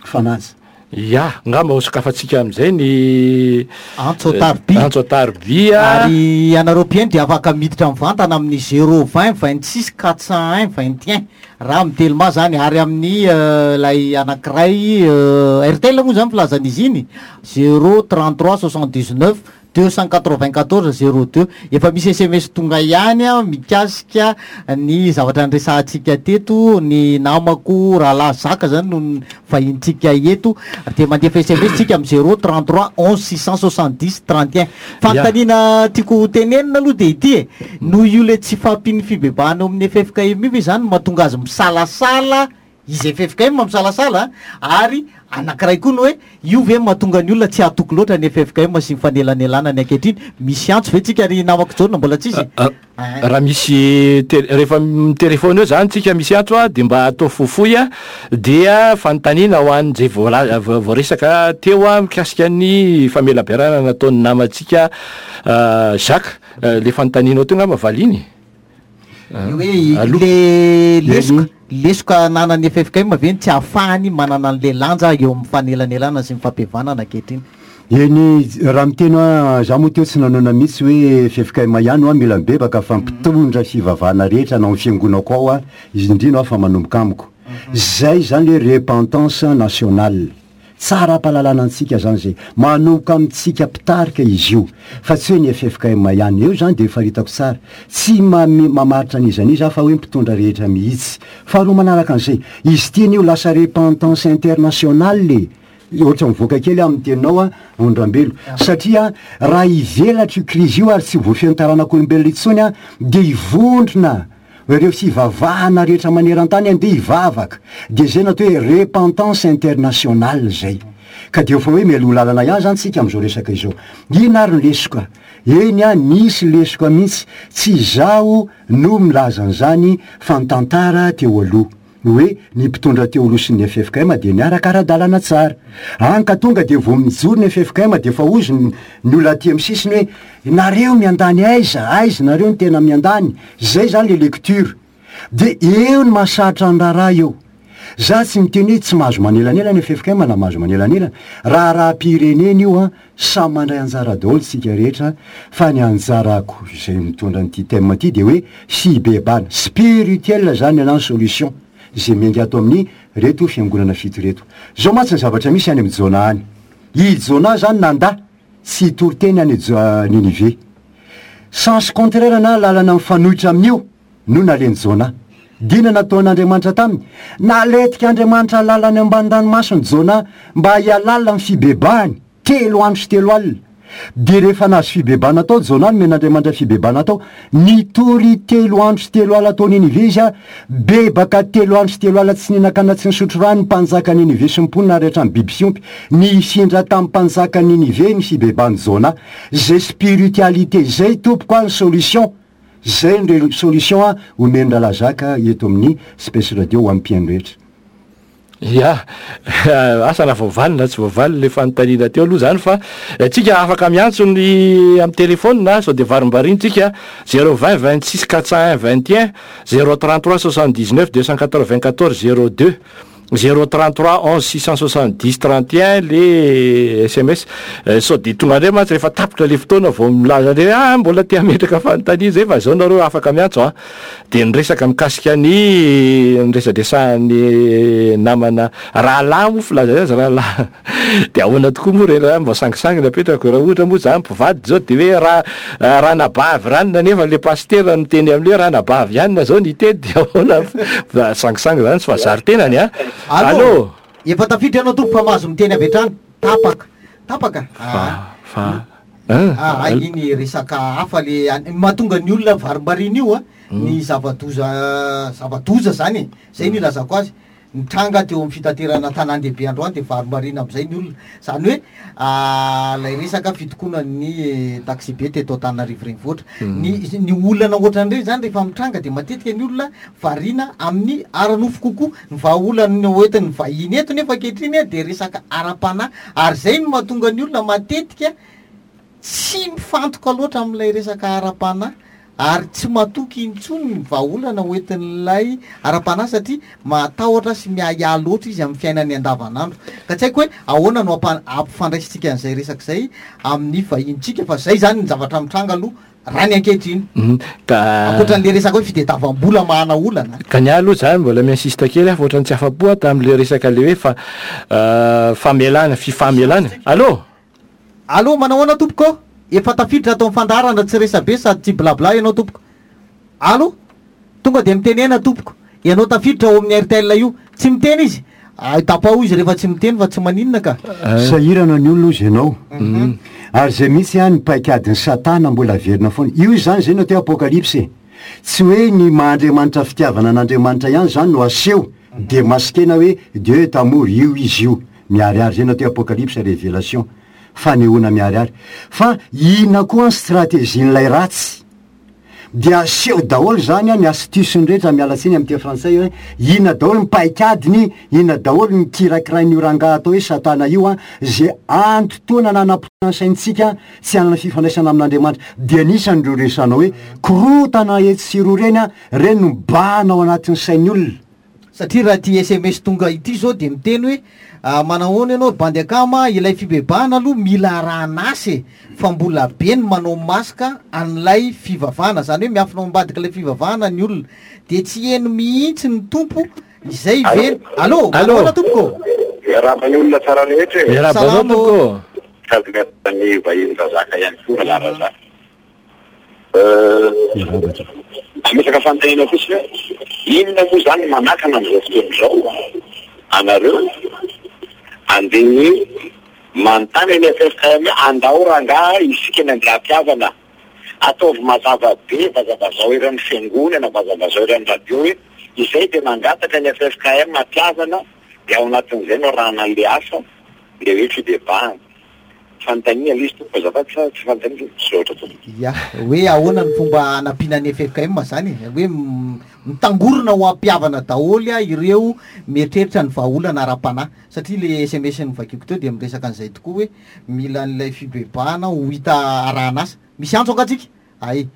Fanaja. Ya, ngamba ho sokafantsika amin'izay ny Antso an-tariby. Antso an-tariby a. Ary ianareo mpihaino dia afaka miditra mivantana amin'ny zéro vingt vingt-six quatre cent un vingt et un. Raha amin'ny Telma zany, ary amin'ny, euh, ilay anankiray, euh, Airtel moa zany filazan'izy iny, zéro trente-trois soixante-dix-neuf deux cent quatre-vingt-quatorze zéro deux. Efa misy S M S tonga ihany a mikasika ny zavatra niresahantsika teto, ny namako rahalahy Zaka zany no vahintsika eto, de mandefa S M S tsika amin'ny zéro trente-trois onze six cent soixante-dix trente et un. Fanontaniana tiako tenenina aloha de ity e, noho io le tsy fahampian'ny fibebahana eo amin'ny F F K M io ve zany mahatonga azy misalasala izy F F K M misalasala, ary anankiray koa ny hoe io ve mahatonga ny olona tsy hatoky loatra ny F F K M sy ny fanelanelana ny ankehitriny. Misy antso ve tsika ry namako Jaona mbola tsisy? Raha misy rehefa mitelefona eo zany tsika misy antso a, de mba atao fohifohy a, dia fanontaniana ho an'izay voala-, voaresaka teo a mikasika ny famelabelarana nataon'ny namantsika Jacques. Le fanontanianao teo angamba valiny. Hoe le lesoka, lesoka ananan'ny F F K M ve ny tsy ahafahany manana an'le lanja eo amin'ny fanelanelana sy ny fampihavanana ankehitriny? Eny, raha miteny hoe za moa teo tsy nanona mihitsy hoe F F K M ihany hoa mila mibebaka fa mpitondra fivavahana rehetra na amin'ny fiangonako ao a, izy indrindra fa manomboka amiko. Zay zany le repentance nationale. Tsara ampahalalana antsika zany zay. Manomboka amintsika mpitarika izy io, fa tsy hoe ny F F K M ihany. Eo zany de efa hitako tsara. Tsy mame-, mamaritra an'iza n'iza fa hoe mpitondra rehetra mihitsy. Faharoa manaraka an'izay, izy ity anio lasa repentance internationale. Ohatra mivoaka kely amin'ny teninao a, Ondrambelo. Satria raha hivelatra io krizy io ary tsy voafehin'ny taranak'olombelona intsony a, de hivondrona ireo fivavahana rehetra maneran-tany andeha hivavaka. De zay natao hoe repentance internationale zay. Ka de efa hoe mialoha lalana ihany zany tsika amin'izao resaka izao. Inona ary ny lesoka? Eny a, nisy lesoka mihitsy. Tsy izaho no milaza an'izany fa ny tantara teo aloha. Hoe ny mpitondra teo aloha sy ny F F K M dia niaraka ara-dalàna tsara. Any ka tonga dia vao mijoro ny F F K M dia efa hozy ny, ny olona aty amin'ny sisiny hoe nareo miandany aiza, aiza nareo no tena miandany. Zay zany le lecture. De eo ny mahasarotra ny raharaha eo. Za tsy miteny hoe tsy mahazo manelanelana ny F F K M na mahazo manelanelana. Raharaham-pirenena io a, samy mandray anjara daholo tsika rehetra, fa ny anjarako izay mitondra an'ity thème ity dia hoe fibebahana spirituel zany ny solution izay miainga ato amin'ny reto fiangonana fito reto. Zao mantsy ny zavatra misy any amin'ny Jona any. I Jona zany nanda tsy hitory teny any Jo-, Ninive. Sens contraire na lalana mifanohitra amin'io no naleny Jona. Dina nataon'Andriamanitra taminy. Naletika Andriamanitra lalana ambany ranomasina Jona mba hialala amin'ny fibebahany telo andro sy telo alina. De rehefa nahazo fibebahana tao Jona, nomen'Andriamanitra fibebahana tao, nitory telo andro sy telo alina tao Ninive izy a, bebaka telo andro sy telo alina tsy nihinan-kanina tsy nisotro rano ny mpanjaka Ninive sy ny mponina ary hatramin'ny biby fiompy. Nifindra tamin'ny mpanjaka Ninive ny fibebahan'i Jona. Zay spiritualité zay tompoko a ny solution. Zay ny re-, solution a omen-dRalazaka eto amin'ny Space Radio ho an'ny mpihaino rehetra. Ya, asa na voavaly na tsy voavaly le fanontaniana teo aloha zany, fa tsika afaka miantso ny amin'ny telefona, sao de varimbariny tsika zéro vingt vingt-six quatre cent un vingt et un, zéro trente-trois soixante-dix-neuf deux cent quatre-vingt-quatorze zéro deux, zéro trente-trois onze six cent soixante-dix trente et un le S M S. Eh, sao de tonga indray mantsy rehefa tapitra le fotoana vao milaza indray, ah, mbola te hametraka fanontaniana zay, fa zao nareo afaka miantso a. De niresaka mikasika ny niresadresahan'ny namana rahalahy moa filaza azy rahalahy. De ahoana tokoa moa re raha mba sangisangy napetrako, raha ohatra moa zany mpivady zao de hoe raha, raha nabavy ranona nefa le pasitera niteny amin'le hoe raha nabavy ihany zao niteny, de ahoana fa sangisangy zany tsy fa zary tenany a. Allô? Allô? Efa tafiditra ianao tompo fa mahazo miteny avy hatrany. Tapaka. Tapaka. Fa, Ah. fa, ah. Ah, ay, iny resaka hafa le an-, mahatonga ny olona varimbarina io a, Hmm. ny zava-doza, zava-doza zany e. Zay ny ilazako azy. Nitranga teo amin'ny fitaterana tanàn-dehibe androany de varimbarina amin'izay ny olona. Zany hoe, ah, ilay resaka fitokonan'ny taxi-be teto Antananarivo renivohitra. Hmm. Ny, ny olana ohatran'ireny zany rehefa mitranga de matetika ny olona variana amin'ny ara-nofo kokoa. Ny vahaolana hoentin'ny vahiny eto nefa ankehitriny de resaka ara-panahy, ary zay no mahatonga ny olona matetika tsy mifantoka loatra amin'ilay resaka ara-panahy ary tsy matoky intsony ny vahaolana hoentin'ilay ara-panahy satria matahotra sy miahiahy loatra izy amin'ny fiainany andavanandro. Ka tsy haiko hoe ahoana no ampa-, ampifandraisintsika an'izay resaka izay amin'ny vahintsika, fa zay zany ny zavatra mitranga aloha raha ny ankehitriny. Mhm. Ka Ankoatran'le resaka hoe fitadiavam-bola mahana olana. Ka ny ahy aloha zany mbola mi-insiste kely aho fa ohatran'ny tsy afa-po aho tamin'le resaka le hoe fa, euh, famelana, fifamelana. Allô? Allô, manao ahoana tompoko? Efa tafiditra ato amin'ny fandaharana, tsy resabe sady tsy blabla ianao tompoko. Allo? Tonga dia mitenena tompoko. Ianao tafiditra ao amin'ny R T L io. Tsy miteny izy. Ay, tapao izy rehefa tsy miteny fa tsy maninona ka. Sahirana ny olona ozy ianao. Ary zay mihitsy ny paikadin'ny Satana mbola averina foana. Io izany zay no atao apokalypsy. Tsy hoe ny maha-Andriamanitra fitiavana an'Andriamanitra ihany zany no aseho, de maskena hoe Dieu est amour, io izy io. Miharihary zay no atao apokalypsy, révélation. Fanehoana miharihary. Fa inona koa ny stratégie-n'ilay ratsy? Dia aseho daholo zany ny astuce-ny rehetra, miala tsiny amin'ny teny frantsay hoe inona daholo ny paikadiny, inona daholo ny kirakirain'io rangahy atao hoe Satana io a, zay antotoana nanam-potoana saintsika tsy hanana fifandraisana amin'Andriamanitra. Dia anisan'ireo resanao hoe korotana etsy sy roa reny a, reny no mibahana ao anatin'ny sain'ny olona. Satria raha ty S M S tonga ity zao dia miteny hoe, ah, manahoana ianao ry bandy akama, ilay fibebahana aloha mila arahan'asa e, fa mbola be ny manao maska an'ilay fivavahana, zany hoe miafina ao ambadika ilay fivavahana ny olona, dia tsy heno mihitsy ny tompo izay ve. Allo, Allo. manahoana tompoko? Miarahaba ny olona tsara rehetra e. Miarahaba anao Salama. tompoko. Sady miarahaba ny vahiny razaka ihany koa, Rahalahy Razaka. Euh, Miarahaba tompoko. Ametraka fanontaniana fotsiny hoe inona moa zany manakana amin'izao fotoana izao anareo andeha manontany ny F F K M hoe andao rangahy isika ny andeha hampihavana, ataovy mazava be, vazavazao eran'ny fiangonana, vazavazao eran'ny radio hoe izay dia mangataka ny F F K M hampihavana, dia ao anatin'izay no arahana an'ilay asa, ilay hoe fibebahana. Fanontaniana ilay izy tompoko, azafady fa tsy fanontaniana, misaotra tompoko. Ya, hoe ahoana ny fomba hanampiana ny F F K M zany e? Hoe m-, mitangorona ho ampihavana daholo a ireo mieritreritra ny vahaolana ara-panahy, satria le S M S novakiako teo dia miresaka an'izay tokoa hoe mila an'ilay fibebahana ho hita arahan'asa. Misy antso angaha tsika? Ay,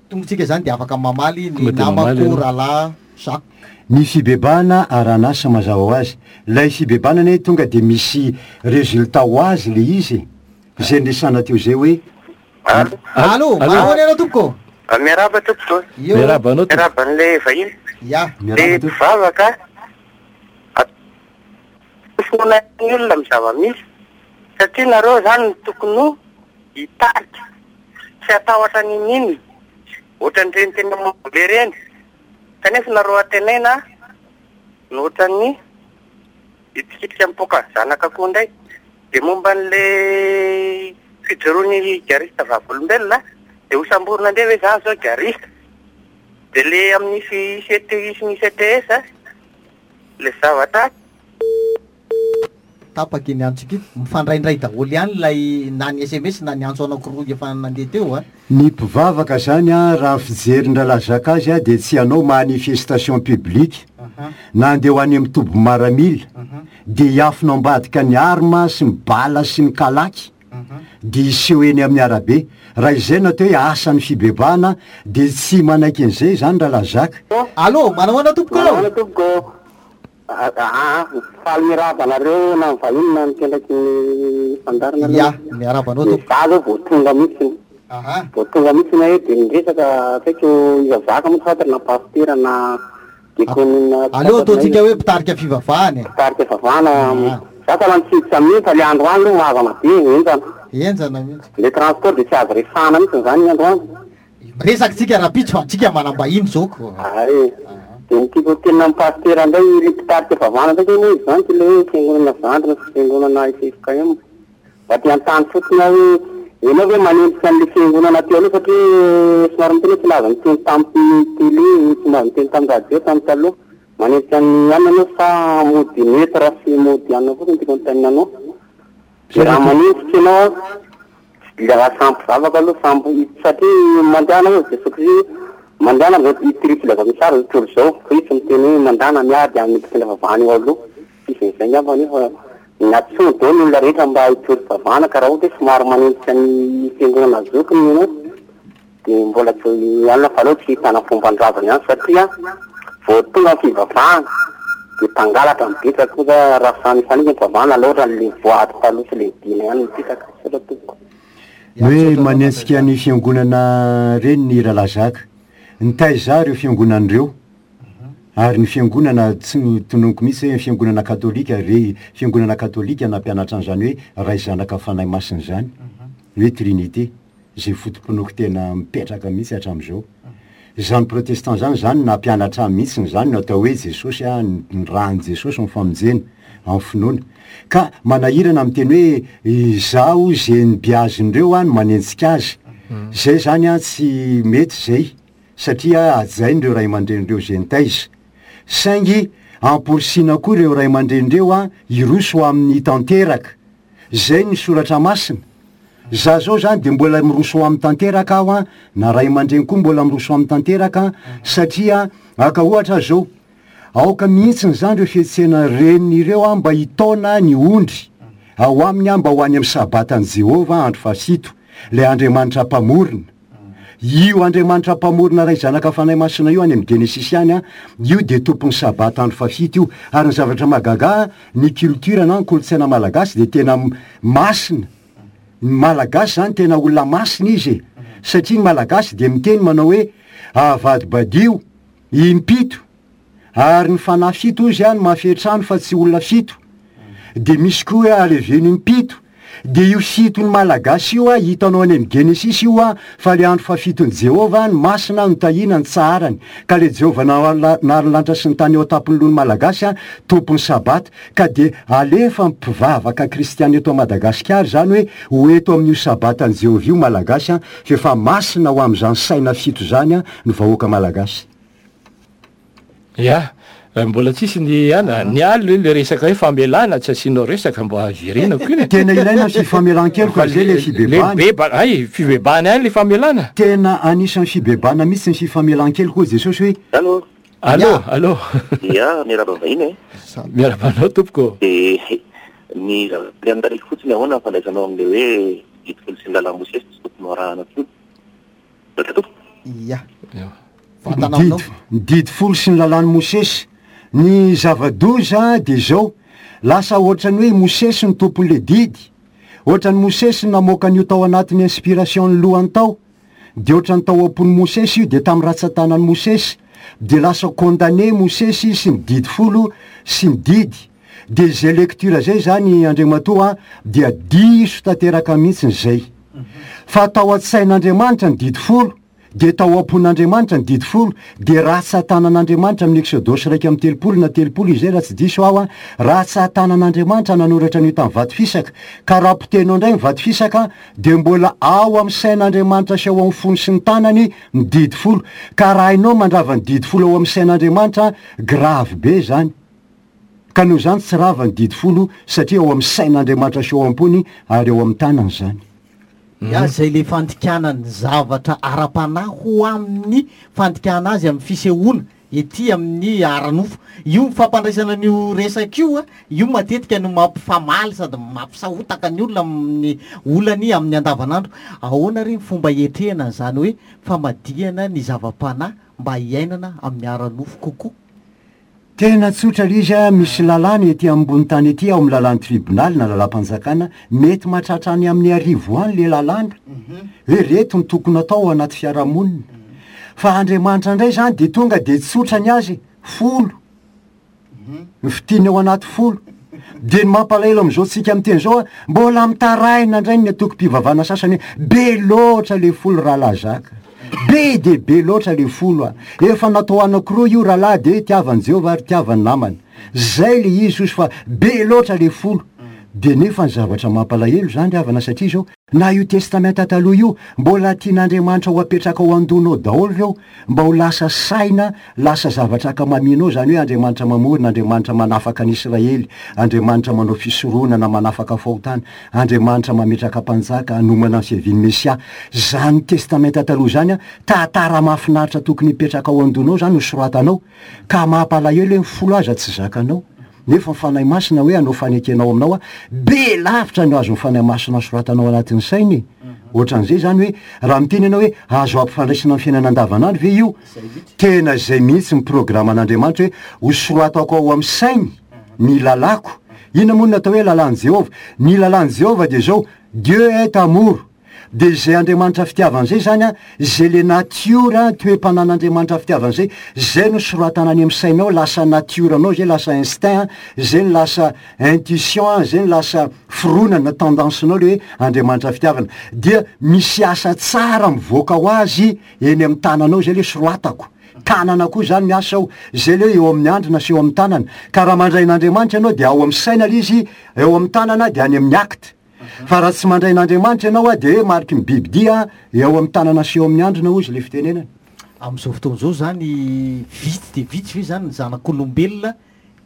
tongotsika zany dia afaka mamaly ny Tonga dia mamaly namako ianao. Rahalahy Jacques. Ny fibebahana arahan'asa mazava ho azy. Ilay fibebahana anie tonga dia misy résultat ho azy le izy. Izay niresahana teo izay hoe Allo. Allo, Allo. manahoana ianao tompoko? Miarahaba tompoko. Eo. Miarahaba anao tompoko. Miarahaba an'ilay vahiny. Ya. Miarahaba Le tompoko. mpivavaka. Finoana ny olona amin'ny zava-misy. Satria nareo zany no tokony ho hitarika. Tsy hatahotra n'inon'inona. Ohatran'ireny tena mamboly ireny. Kanefa nareo antenaina no ohatran'ny hitikitika mipoaka zanaka koa indray. Dia momba an'ilay fijoroan'ny garista vavolombelona, dia ho samborina indray ve zany zao garista? Dia le amin'ny C T I sy ny C T S, le zavatra Tapaka iny antsika iny. Mifandraindray daholo ihany ilay na ny S M S na ny antso anankiroa efa nandeha teo a. Ny mpivavaka zany a, raha fijerin-drahalahy Jacques azy a, dia tsy hanao manifestation publique na andeha ho any amin'ny toby maramila, dia hiafina ambadika ny arma sy ny bala sy ny kalaky, dia hiseho eny amin'ny arabe. Raha izay no atao hoe asan'ny fibebahana, dia tsy manaiky an'izay zany rahalahy Jacques. Allo, manahoana tompoko? Manahoana tompoko? Ah, ah, faly miarahaba anareo na ny vahiny na ny mpiandraiky ny fandaharana aloha. Ya, miarahaba anao tompoko. Za aloha vao tonga mihitsy. Aha. Vao tonga mihitsy na hoe dia niresaka akaiky iza zaka moa tsy fantatra na pasitera na diakonina. Aleo ataontsika hoe mpitarika fivavahana e. Mpitarika fivavahana. Ah. Za tena nitsidika mihitsy fa le androany aloha mavana be, henjana. Henjana mihitsy. Le transport dia tsy azo resahana mihitsy zany ny androany. Miresaka tsika rahampitso fa tsika manam-bahiny zao ko. Ay. Dia ny tiako tena amin'ny pasitera indray, le mpitarika fivavahana indray moa izy zany, le hoe fiangonana zandrina sy fiangonana F F K M. Mba te hanontany fotsiny aho hoe ianao ve manenjika an'le fiangonana teo aloha, satria somary miteny hoe tsy laza niteny tamin'ny télé, tsy mba niteny tamin'ny radio tamin'ny taloha. Manenjika ny anona anao fa mody neutre sy mody anona fotsiny tiako anontaniana anao. Dia raha manenjika ianao, dia raha samy mpivavaka aloha, samy, satria mandehana hoy Jesoa Kristy, mandehana amin'izao ity filazantsara izao tontolo izao, fa izy tsy miteny hoe mandehana miady amin'ny mpitondra fivavahana eo aloha. Tsisy an'izay angamba nefa natsoa daholo ny olona rehetra mba hitory fivavahana, ka raha ohatra hoe somary manenjika ny fiangonana zokiny ianao, dia mbola tsy alina fa aleo tsy hitana fomban-drazana ihany, satria vao tonga ny fivavahana dia mpangalatra mipetraka koa za, raha samy mifanitsy ny fivavahana, aleo ohatra le voady taloha sy le dina ihany mipetraka. Misaotra tompoko. Ny hoe manenjika ny fiangonana reny ny rahalahy Jacques. Nitaiza ireo fiangonana ireo. Ary ny fiangonana tsy tononiko mihitsy hoe fiangonana katolika, re fiangonana katolika nampianatra an'izany hoe Ray Zanaka Fanahy Masina izany, hoe Trinité. zay foto-pinoako tena mipetraka mihitsy hatramin'izao. Zany protestant zany zany nampianatra ahy mihitsy zany no atao hoe Jesosy a, ny ràn'i Jesosy ny famonjena amin'ny finoana. Ka manahirana miteny hoe izaho zay nibiazin'ireo a no manenjika azy. Zay zany a tsy mety zay, satria hajain'ireo ray aman-dren'ireo zay nitaiza. Saingy amporisihina koa ireo ray aman-dren'ireo a hiroso amin'ny tanteraka. Zay ny soratra masina. Za zao zany de mbola miroso amin'ny tanteraka aho a, na ray aman-dreny koa mbola miroso amin'ny tanteraka, satria aka ohatra zao, aoka mihitsy zany ireo fihetsehana reniny ireo a mba hitaona ny ondry ao aminy a mba ho any amin'ny sabatan'i Jehovah andro fahafito, ilay Andriamanitra mpamorona. Io Andriamanitra mpamorona ray zanaka fanahy masina io any amin'ny Genesisy any a, io de tompon'ny sabata andro fahafito io. Ary ny zavatra mahagaga, ny culture na ny kolontsaina malagasy de tena masina. Ny malagasy zany tena olona masina izy e. Satria ny malagasy de miteny manao hoe avadibadio impito, ary ny fanahy fito izy a no mahafetrano fa tsy olona fito. De misy koa hoe aleveno impito. De io fito ny malagasy io a hitanao any amin'ny Genesisy io a, fa le andro fahafiton'i Jehovah ny masina no tahina ny tsaharany. Ka le Jehovah nahary ny lanitra sy ny tany eo an-tampon'ny lohan'ny malagasy a, tompon'ny sabata. Ka de alefa mpivavaka kristiana eto Madagasikara zany hoe ho eto amin'io sabatan'i Jehovah io malagasy a, fa efa masina ho amin'izany saina fito zany a ny vahoaka malagasy. Ya, mbola tsisy ny ana, ny aly le resaka hoe famelana tsy asianao resaka mba hiverenako iny. Tena ilaina ny fifamelan-keloka zay le fibebahana. Le beba, ay, fibebahana ihany le famelana. Tena anisan'ny fibebahana mihitsy ny fifamelan-keloka hoy Jesosy hoe Allô. Allô, allô. Ya, miarahaba vahiny e. Miarahaba anao tompoko. De ny zavatra anontaniako fotsiny ahoana ny fandraisanao amin'le hoe didy folo sy ny lalàn'i Mosesy tsy tokony ho arahana intsony. Zaka tompoko. Ya. Vatana aminao. Ny didy folo sy ny lalàn'i Mosesy. Ny zava-doza de zao, lasa ohatran'ny hoe Mosesy no tompon'le didy. Ohatran'ny Mosesy namoaka an'io tao anatin'ny inspiration ny lohany tao. De ohatran'ny tao am-pon'i Mosesy io, de tamin'ny ratsan-tanan'i Mosesy. De lasa condamné Mosesy sy ny didy folo sy ny didy. De zay lecture zay zany Andriamatoa dia diso tanteraka mihitsy zay. Fa tao an-tsain'Andriamanitra ny didy folo, de tao am-pon'Andriamanitra ny didy folo, de ratsan-tanan'Andriamanitra amin'ny Exodosy iraika amby telopolo na telopolo izay raha tsy diso aho a, ratsan-tanan'Andriamanitra nanoratra an'io tamin'ny vato fisaka. Ka raha potehinao indray ny vato fisaka, de mbola ao amin'ny sain'Andriamanitra sy ao amin'ny fony sy ny tanany ny didy folo. Ka raha hainao mandrava ny didy folo ao amin'ny sain'Andriamanitra, grave be zany. Ka noho izany tsy rava ny didy folo, satria ao amin'ny sain'Andriamanitra sy ao am-pony ary ao amin'ny tanany zany. Ya, zay le fandikana ny zavatra ara-panahy ho amin'ny fandikana azy amin'ny fisehoana ety amin'ny ara-nofo. Io fampandraisana an'io resaka io a, io matetika no mampifamaly sady mampisahotaka ny olona amin'ny olany amin'ny andavanandro. Ahoana re ny fomba hiatrehana an'izany hoe famadihana ny zava-panahy mba hiainana amin'ny ara-nofo kokoa? Tena tsotra ilay izy a, misy lalàna ety ambony tany ety, ao amin'ny lalàn'ny tribonaly na lalàm-panjakana, mety mahatratra any amin'ny arivo any le lalàna. Hoe reto ny tokony atao ao anaty fiarahamonina. Fa Andriamanitra indray zany de tonga de tsotra ny azy, folo. Ny fitiany ao anaty folo. De ny mampalahelo amin'izao tsika miteny zao a, mbola mitaraina indray ny antokom-pivavahana sasany hoe be loatra le folo rahalahy zaka. Be de be loatra le folo a. Efa natao anankiroa io rahalahy de tiavan'i Jehovah ary tiavan'ny namany. Zay le izy ozy fa be loatra le folo. De nefa ny zavatra mampalahelo zany ry havana, satria zao, na io testamenta taloha io, mbola tian'Andriamanitra ho apetraka ao an-dohanao daholo ireo, mba ho lasa saina, lasa zavatra ankamaminao zany hoe Andriamanitra mamorona, Andriamanitra manafaka ny Israely, Andriamanitra manao fisoronana, manafaka fahotana, Andriamanitra mametraka mpanjaka, hanomana ny fiavian'ny Mesia. Zany testamenta taloha zany a, tantara mahafinaritra tokony hipetraka ao an-dohanao zany ho soratanao, ka mampalahelo hoe ny folo aza tsy zakanao. Nefa ny Fanahy Masina hoe hanao fanekenao aminao a, be lavitra no azon'ny Fanahy Masina soratanao anatin'ny sainy. Ohatran'izay zany hoe raha miteny ianao hoe azo ampifandraisina amin'ny fiainana andavanandro ve io? Tena izay mihitsy ny programan'Andriamanitra hoe ho soratako ao amin'ny sainy ny lalàko. Inona moa no natao hoe lalàn'i Jehovah? Ny lalàn'i Jehovah dia zao, Dieu est amour. De izay Andriamanitra fitiavana izay zany a, izay le natiora toe-panan'Andriamanitra fitiavana izay, izay no soratana any amin'ny sainao, lasa natiora anao izay, lasa instinct, izay no lasa intuition, izay no lasa fironana, tendance-nao le hoe Andriamanitra fitiavana, dia misy asa tsara mivoaka ho azy eny amin'ny tananao, zay le soratako. Tanana koa zany miasa ao, zay le hoe eo amin'ny andrina sy eo amin'ny tanana. Ka raha mandray an'Andriamanitra ianao dia ao amin'ny saina le izy, eo amin'ny tanana dia any amin'ny acte. Fa raha tsy mandray an'Andriamanitra ianao a, dia hoe mariky ny bibidia eo amin'ny tanana sy eo amin'ny andrina hozy le fitenenana. Amin'izao fotoana izao zany vitsy dia vitsy ve zany ny zanak'olombelona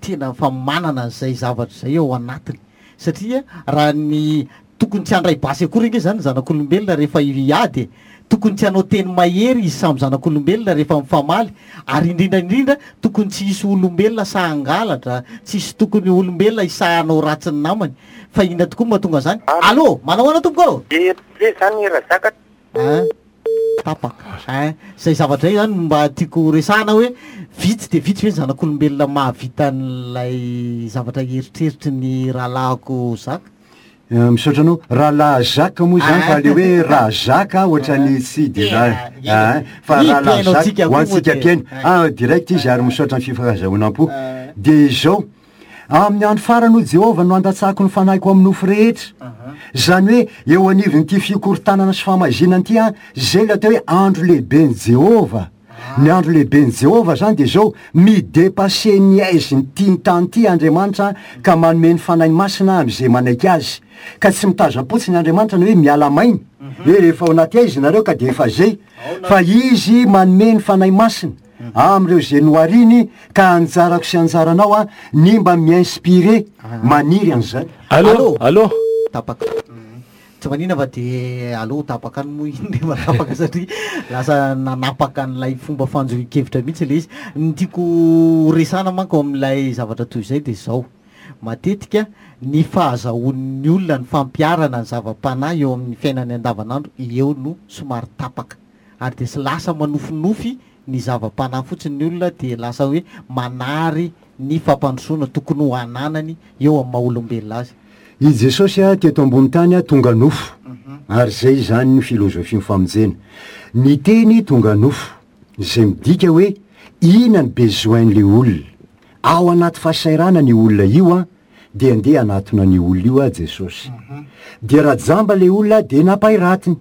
tena fa manana an'izay zavatra izay ao anatiny, satria raha ny tokony tsy handray basy akory ange zany ny zanak'olombelona rehefa hiady e, tokony tsy hanao teny mahery izy samy zanak'olombelona rehefa mifamaly, ary indrindra indrindra tokony tsy hisy olombelona sahy hangalatra, tsy hisy tokony olombelona hisahy hanao ratsy ny namany. Fa inona tokoa no mahatonga an'izany? Allô, manao ahoana tompoko? Be zany Razaka. Hein? Tapaka. Hein? Zay zavatra izay zany no mba tiako resahana hoe vitsy dia vitsy ve ny zanak'olombelona mahavita an'ilay zavatra eritreritry ny rahalahiko Zaka? Eh, misaotra anao. Rahalahy Jacques moa zany, fa le hoe raha Jacques ohatran'ny tsy de raha, ah, fa Ny rahalahy mpihaino Jacques antsika ho koa antsika moa dia- mpihaino. Ah, direct izy ary misaotra ny fifankazahoanam-po. De izao, amin'ny andro farany hoy Jehovah no handatsako ny fanahiko amin'ny nofo rehetra. Zany hoe eo anivon'ity fikorontanana sy famaizinana ity, ah, zay le atao hoe andro lehiben'i Jehovah. Ny andro lehiben'i Jehovah zany de zao, midépasse ny aizin'ity ny tany ity Andriamanitra ka manome ny Fanahy Masina amin'izay manaiky azy. Ka tsy mitazam-potsiny Andriamanitra ny hoe miala maina, hoe rehefa ao anaty aizina nareo ka de efa zay, fa izy manome ny Fanahy Masina amin'ireo izay nohariny, ka anjarako sy anjaranao a ny mba mi-inspiré, maniry an'izany. Allô, allô. Tapaka. Tsy manina fa de allô tapaka any moa iny rehefa tapaka satria lasa nanapaka an'ilay fomba fanjohian-kevitra mihitsy le izy. Ny tiako resahana manko amin'ilay zavatra toy izay de zao. Matetika ny fahazahoan'ny olona ny fampiharana ny zava-panahy eo amin'ny fiainany andavanandro eo no somary tapaka. Ary de sy lasa manofinofy ny zava-panahy fotsiny ny olona, de lasa hoe manary ny fampandrosoana tokony ho ananany eo amin'ny maha olombelona azy. I Jesosy a teto ambony tany a tonga nofo, ary zay zany ny filozofia ny famonjena. Ny teny tonga nofo, izay midika hoe inona ny besoin-'le olona. Ao anaty fahasairana ny olona io a, de andeha hanatona ny olona io a Jesosy. De raha jamba le olona de nampairatiny,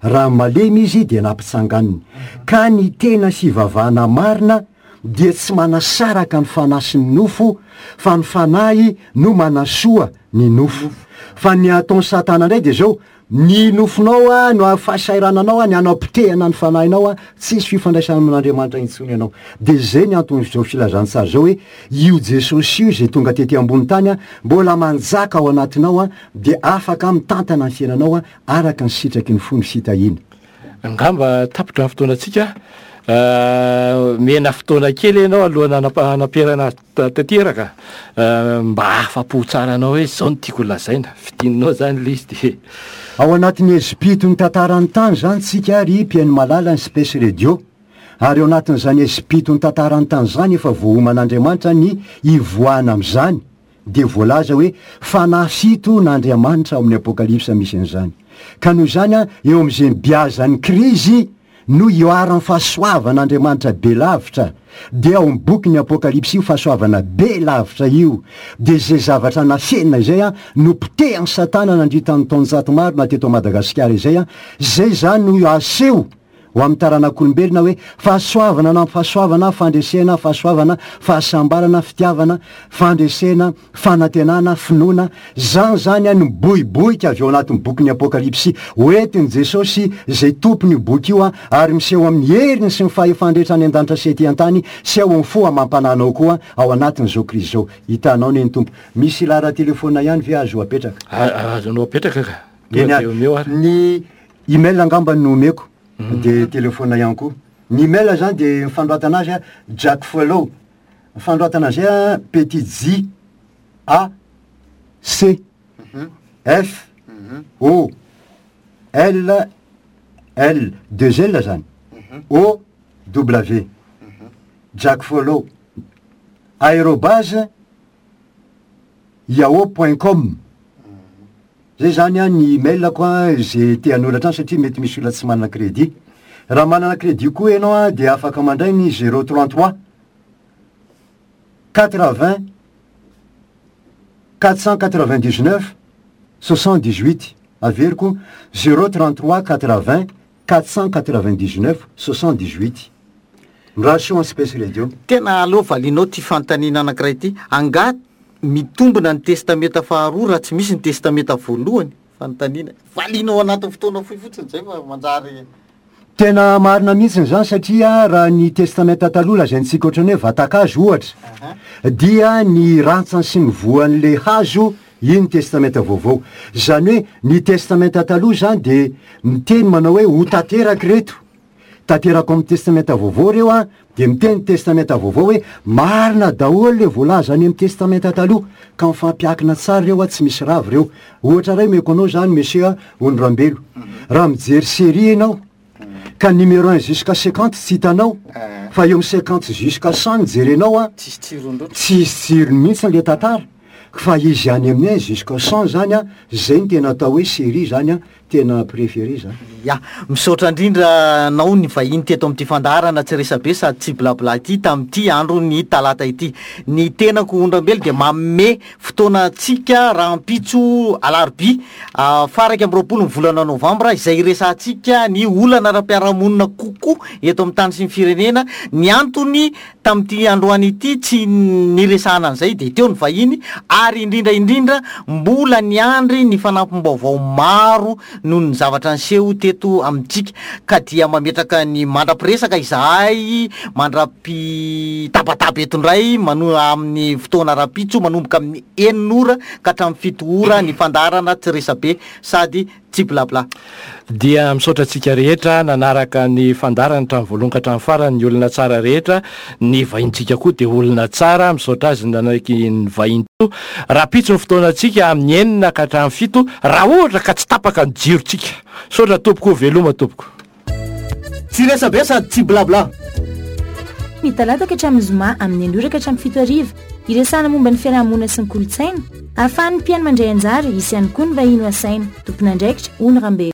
raha malemy izy de nampitsanganiny. Ka ny tena fivavahana marina dia tsy manasaraka ny fanahy sy ny nofo, fa ny fanahy no manasoa ny nofo. Fa ny ataon'ny Satana indray de zao, ny nofonao a no fahasairananao a, ny hanapotehana ny fanahinao a, tsisy fifandraisana amin'Andriamanitra intsony ianao. De zay ny anton'izao filazantsara zao hoe io Jesosy io izay tonga tety ambony tany a, mbola manjaka ao anatinao a, de afaka mitantana ny fiainanao a, araka ny sitraky ny fo ny fitahiana. Angamba tapitra ny fotoanantsika. Eh, mena fotoana kely ianao alohan'ny hanapa-, hanamperana azy ta-, tanteraka. Eh, mba afa-po tsara anao hoe zao no tiako lazaina. Fidinao zany le izy de Ao anatin'ny espito ny tantaran'ny tany zany tsika ry mpihaino malala ny Space Radio. Ary ao anatin'izany espito ny tantaran'ny tany zany efa voaoman'Andriamanitra ny ivoahana amin'izany. De voalaza hoe fanahy fito n'Andriamanitra ao amin'ny Apokalypsa misy an'izany. Ka noho izany a, eo amin'izay mibiazan'ny krizy no iharan'ny fahasoavan'Andriamanitra be lavitra. De ao amin'ny boky ny Apokalypsy io fahasoavana be lavitra io. De izay zavatra nafenina izay a, no potehan'ny Satana nandritra ny taonjato maro na teto Madagasikara izay a, izay zany no aseho ho amin'ny taranak'olombelona hoe fahasoavana na fahasoavana, fandresena, fahasoavana, fahasambarana, fitiavana, fandresena, fanantenana, finoana. Zany zany a no miboiboika avy ao anatin'ny bokin'ny Apokalypsy. Hoentin'i Jesosy izay tompon'io boky io a, ary miseho amin'ny heriny sy ny fahefany rehetra any an-danitra sy ety an-tany sy ao amin'ny fo amam-panahinao koa ao anatin'izao krizy izao. Hitanao ne ny Tompo. Misy laharan-telefona ihany ve azo apetraka? A-, azonao apetraka ka. Eny Tonga de omeo ary. Ny email angamba no omeko. De telefona ihany koa. Ny email zany de ny fanoratana azy a, Jack Follow. Ny fanoratana azy a, petit J A C F O L L deux L zany. O W. Jack Follow. Aérobase yahoo point com. Zay zany a ny email koa zay te hanoratra any satria mety misy olona tsy manana crédit. Raha manana crédit koa ianao a de afaka mandray ny zéro trente-trois quatre-vingts quatre cent quatre-vingt-dix-neuf soixante dix huit. Averiko, zéro trente trois quatre vingt quatre cent quatre vingt dix neuf soixante dix huit. Mirary soa ny Space Radio. Tena aleo valianao ty fanontaniana anankiray ity. Angaha mitombina ny testamenta faharoa raha tsy misy ny testamenta voalohany? Fanontaniana. Valianao anatin'ny fotoana fohy fotsiny zay fa manjary. Tena marina mihitsy zany, satria raha ny testamenta taloha lazaintsika ohatrany hoe vatan-kazo ohatra, dia ny rantsany sy ny voan'le hazo iny testamenta vaovao. Zany hoe ny testamenta taloha zany de miteny manao hoe ho tanteraka reto, tanteraka amin'ny testamenta vaovao reo a, de miteny testamenta vaovao hoe marina daholo le voalaza any amin'ny testamenta taloha, ka mifampiakina tsara reo a, tsy misy ravy reo. Ohatra ray omeko anao zany, monsieur Ondrambelo, raha mijery série ianao ka numéro un jusqu'à cinquante tsy hitanao, fa eo amin'ny cinquante jusqu'à cent ny jerenao a, tsisy tsirony loatra, tsisy tsirony mihitsy le tantara, fa izy any amin'ny un jusqu'à cent zany a, zay ny tena atao hoe série zany a, tena préféré zany. Ya, misaotra indrindra anao ny vahiny teto amin'ity fandaharana tsy resabe sady tsy blabla ity tamin'ity andro ny talata ity. Ny tenako Ondrambelo dia manome fotoana antsika rahampitso alarobia faha-iraika amby roapolo ny volana novambra, izay iresahantsika ny olana ara-piarahamonina kokoa eto amin'ny tany sy ny firenena. Ny antony tamin'ity androany ity tsy niresahana an'izay dia teo ny vahiny, ary indrindra indrindra mbola niandry ny fanampim-baovao maro noho ny zavatra niseho teto amintsika, ka dia mametraka ny mandra-piresaka izahay, mandra-pitabataba eto indray mano-, amin'ny fotoana rahampitso manomboka amin'ny enina ora ka hatramin'ny fito ora ny fandaharana tsy resabe sady tsy blabla. Dia misaotra antsika rehetra nanaraka ny fandaharana hatramin'ny voalohany ka hatramin'ny farany, ny olona tsara rehetra, ny vahintsika koa dia olona tsara, misaotra azy nanaiky ny vahiny teo. Rahampitso ny fotoanantsika amin'ny enina ka hatramin'ny fito, raha ohatra ka tsy tapaka ny jirontsika. Misaotra tompoko, veloma tompoko. Tsy resabe sady tsy blabla. Ny talata ka hatramin'ny zoma amin'ny enina ora ka hatramin'ny fito hariva, iresahana momba ny fiarahamonina sy ny kolontsaina, ahafahan'ny mpihaino mandray anjara, hisy ihany koa ny vahiny ho asaina. Tompon'andraikitra Ony Rambelo.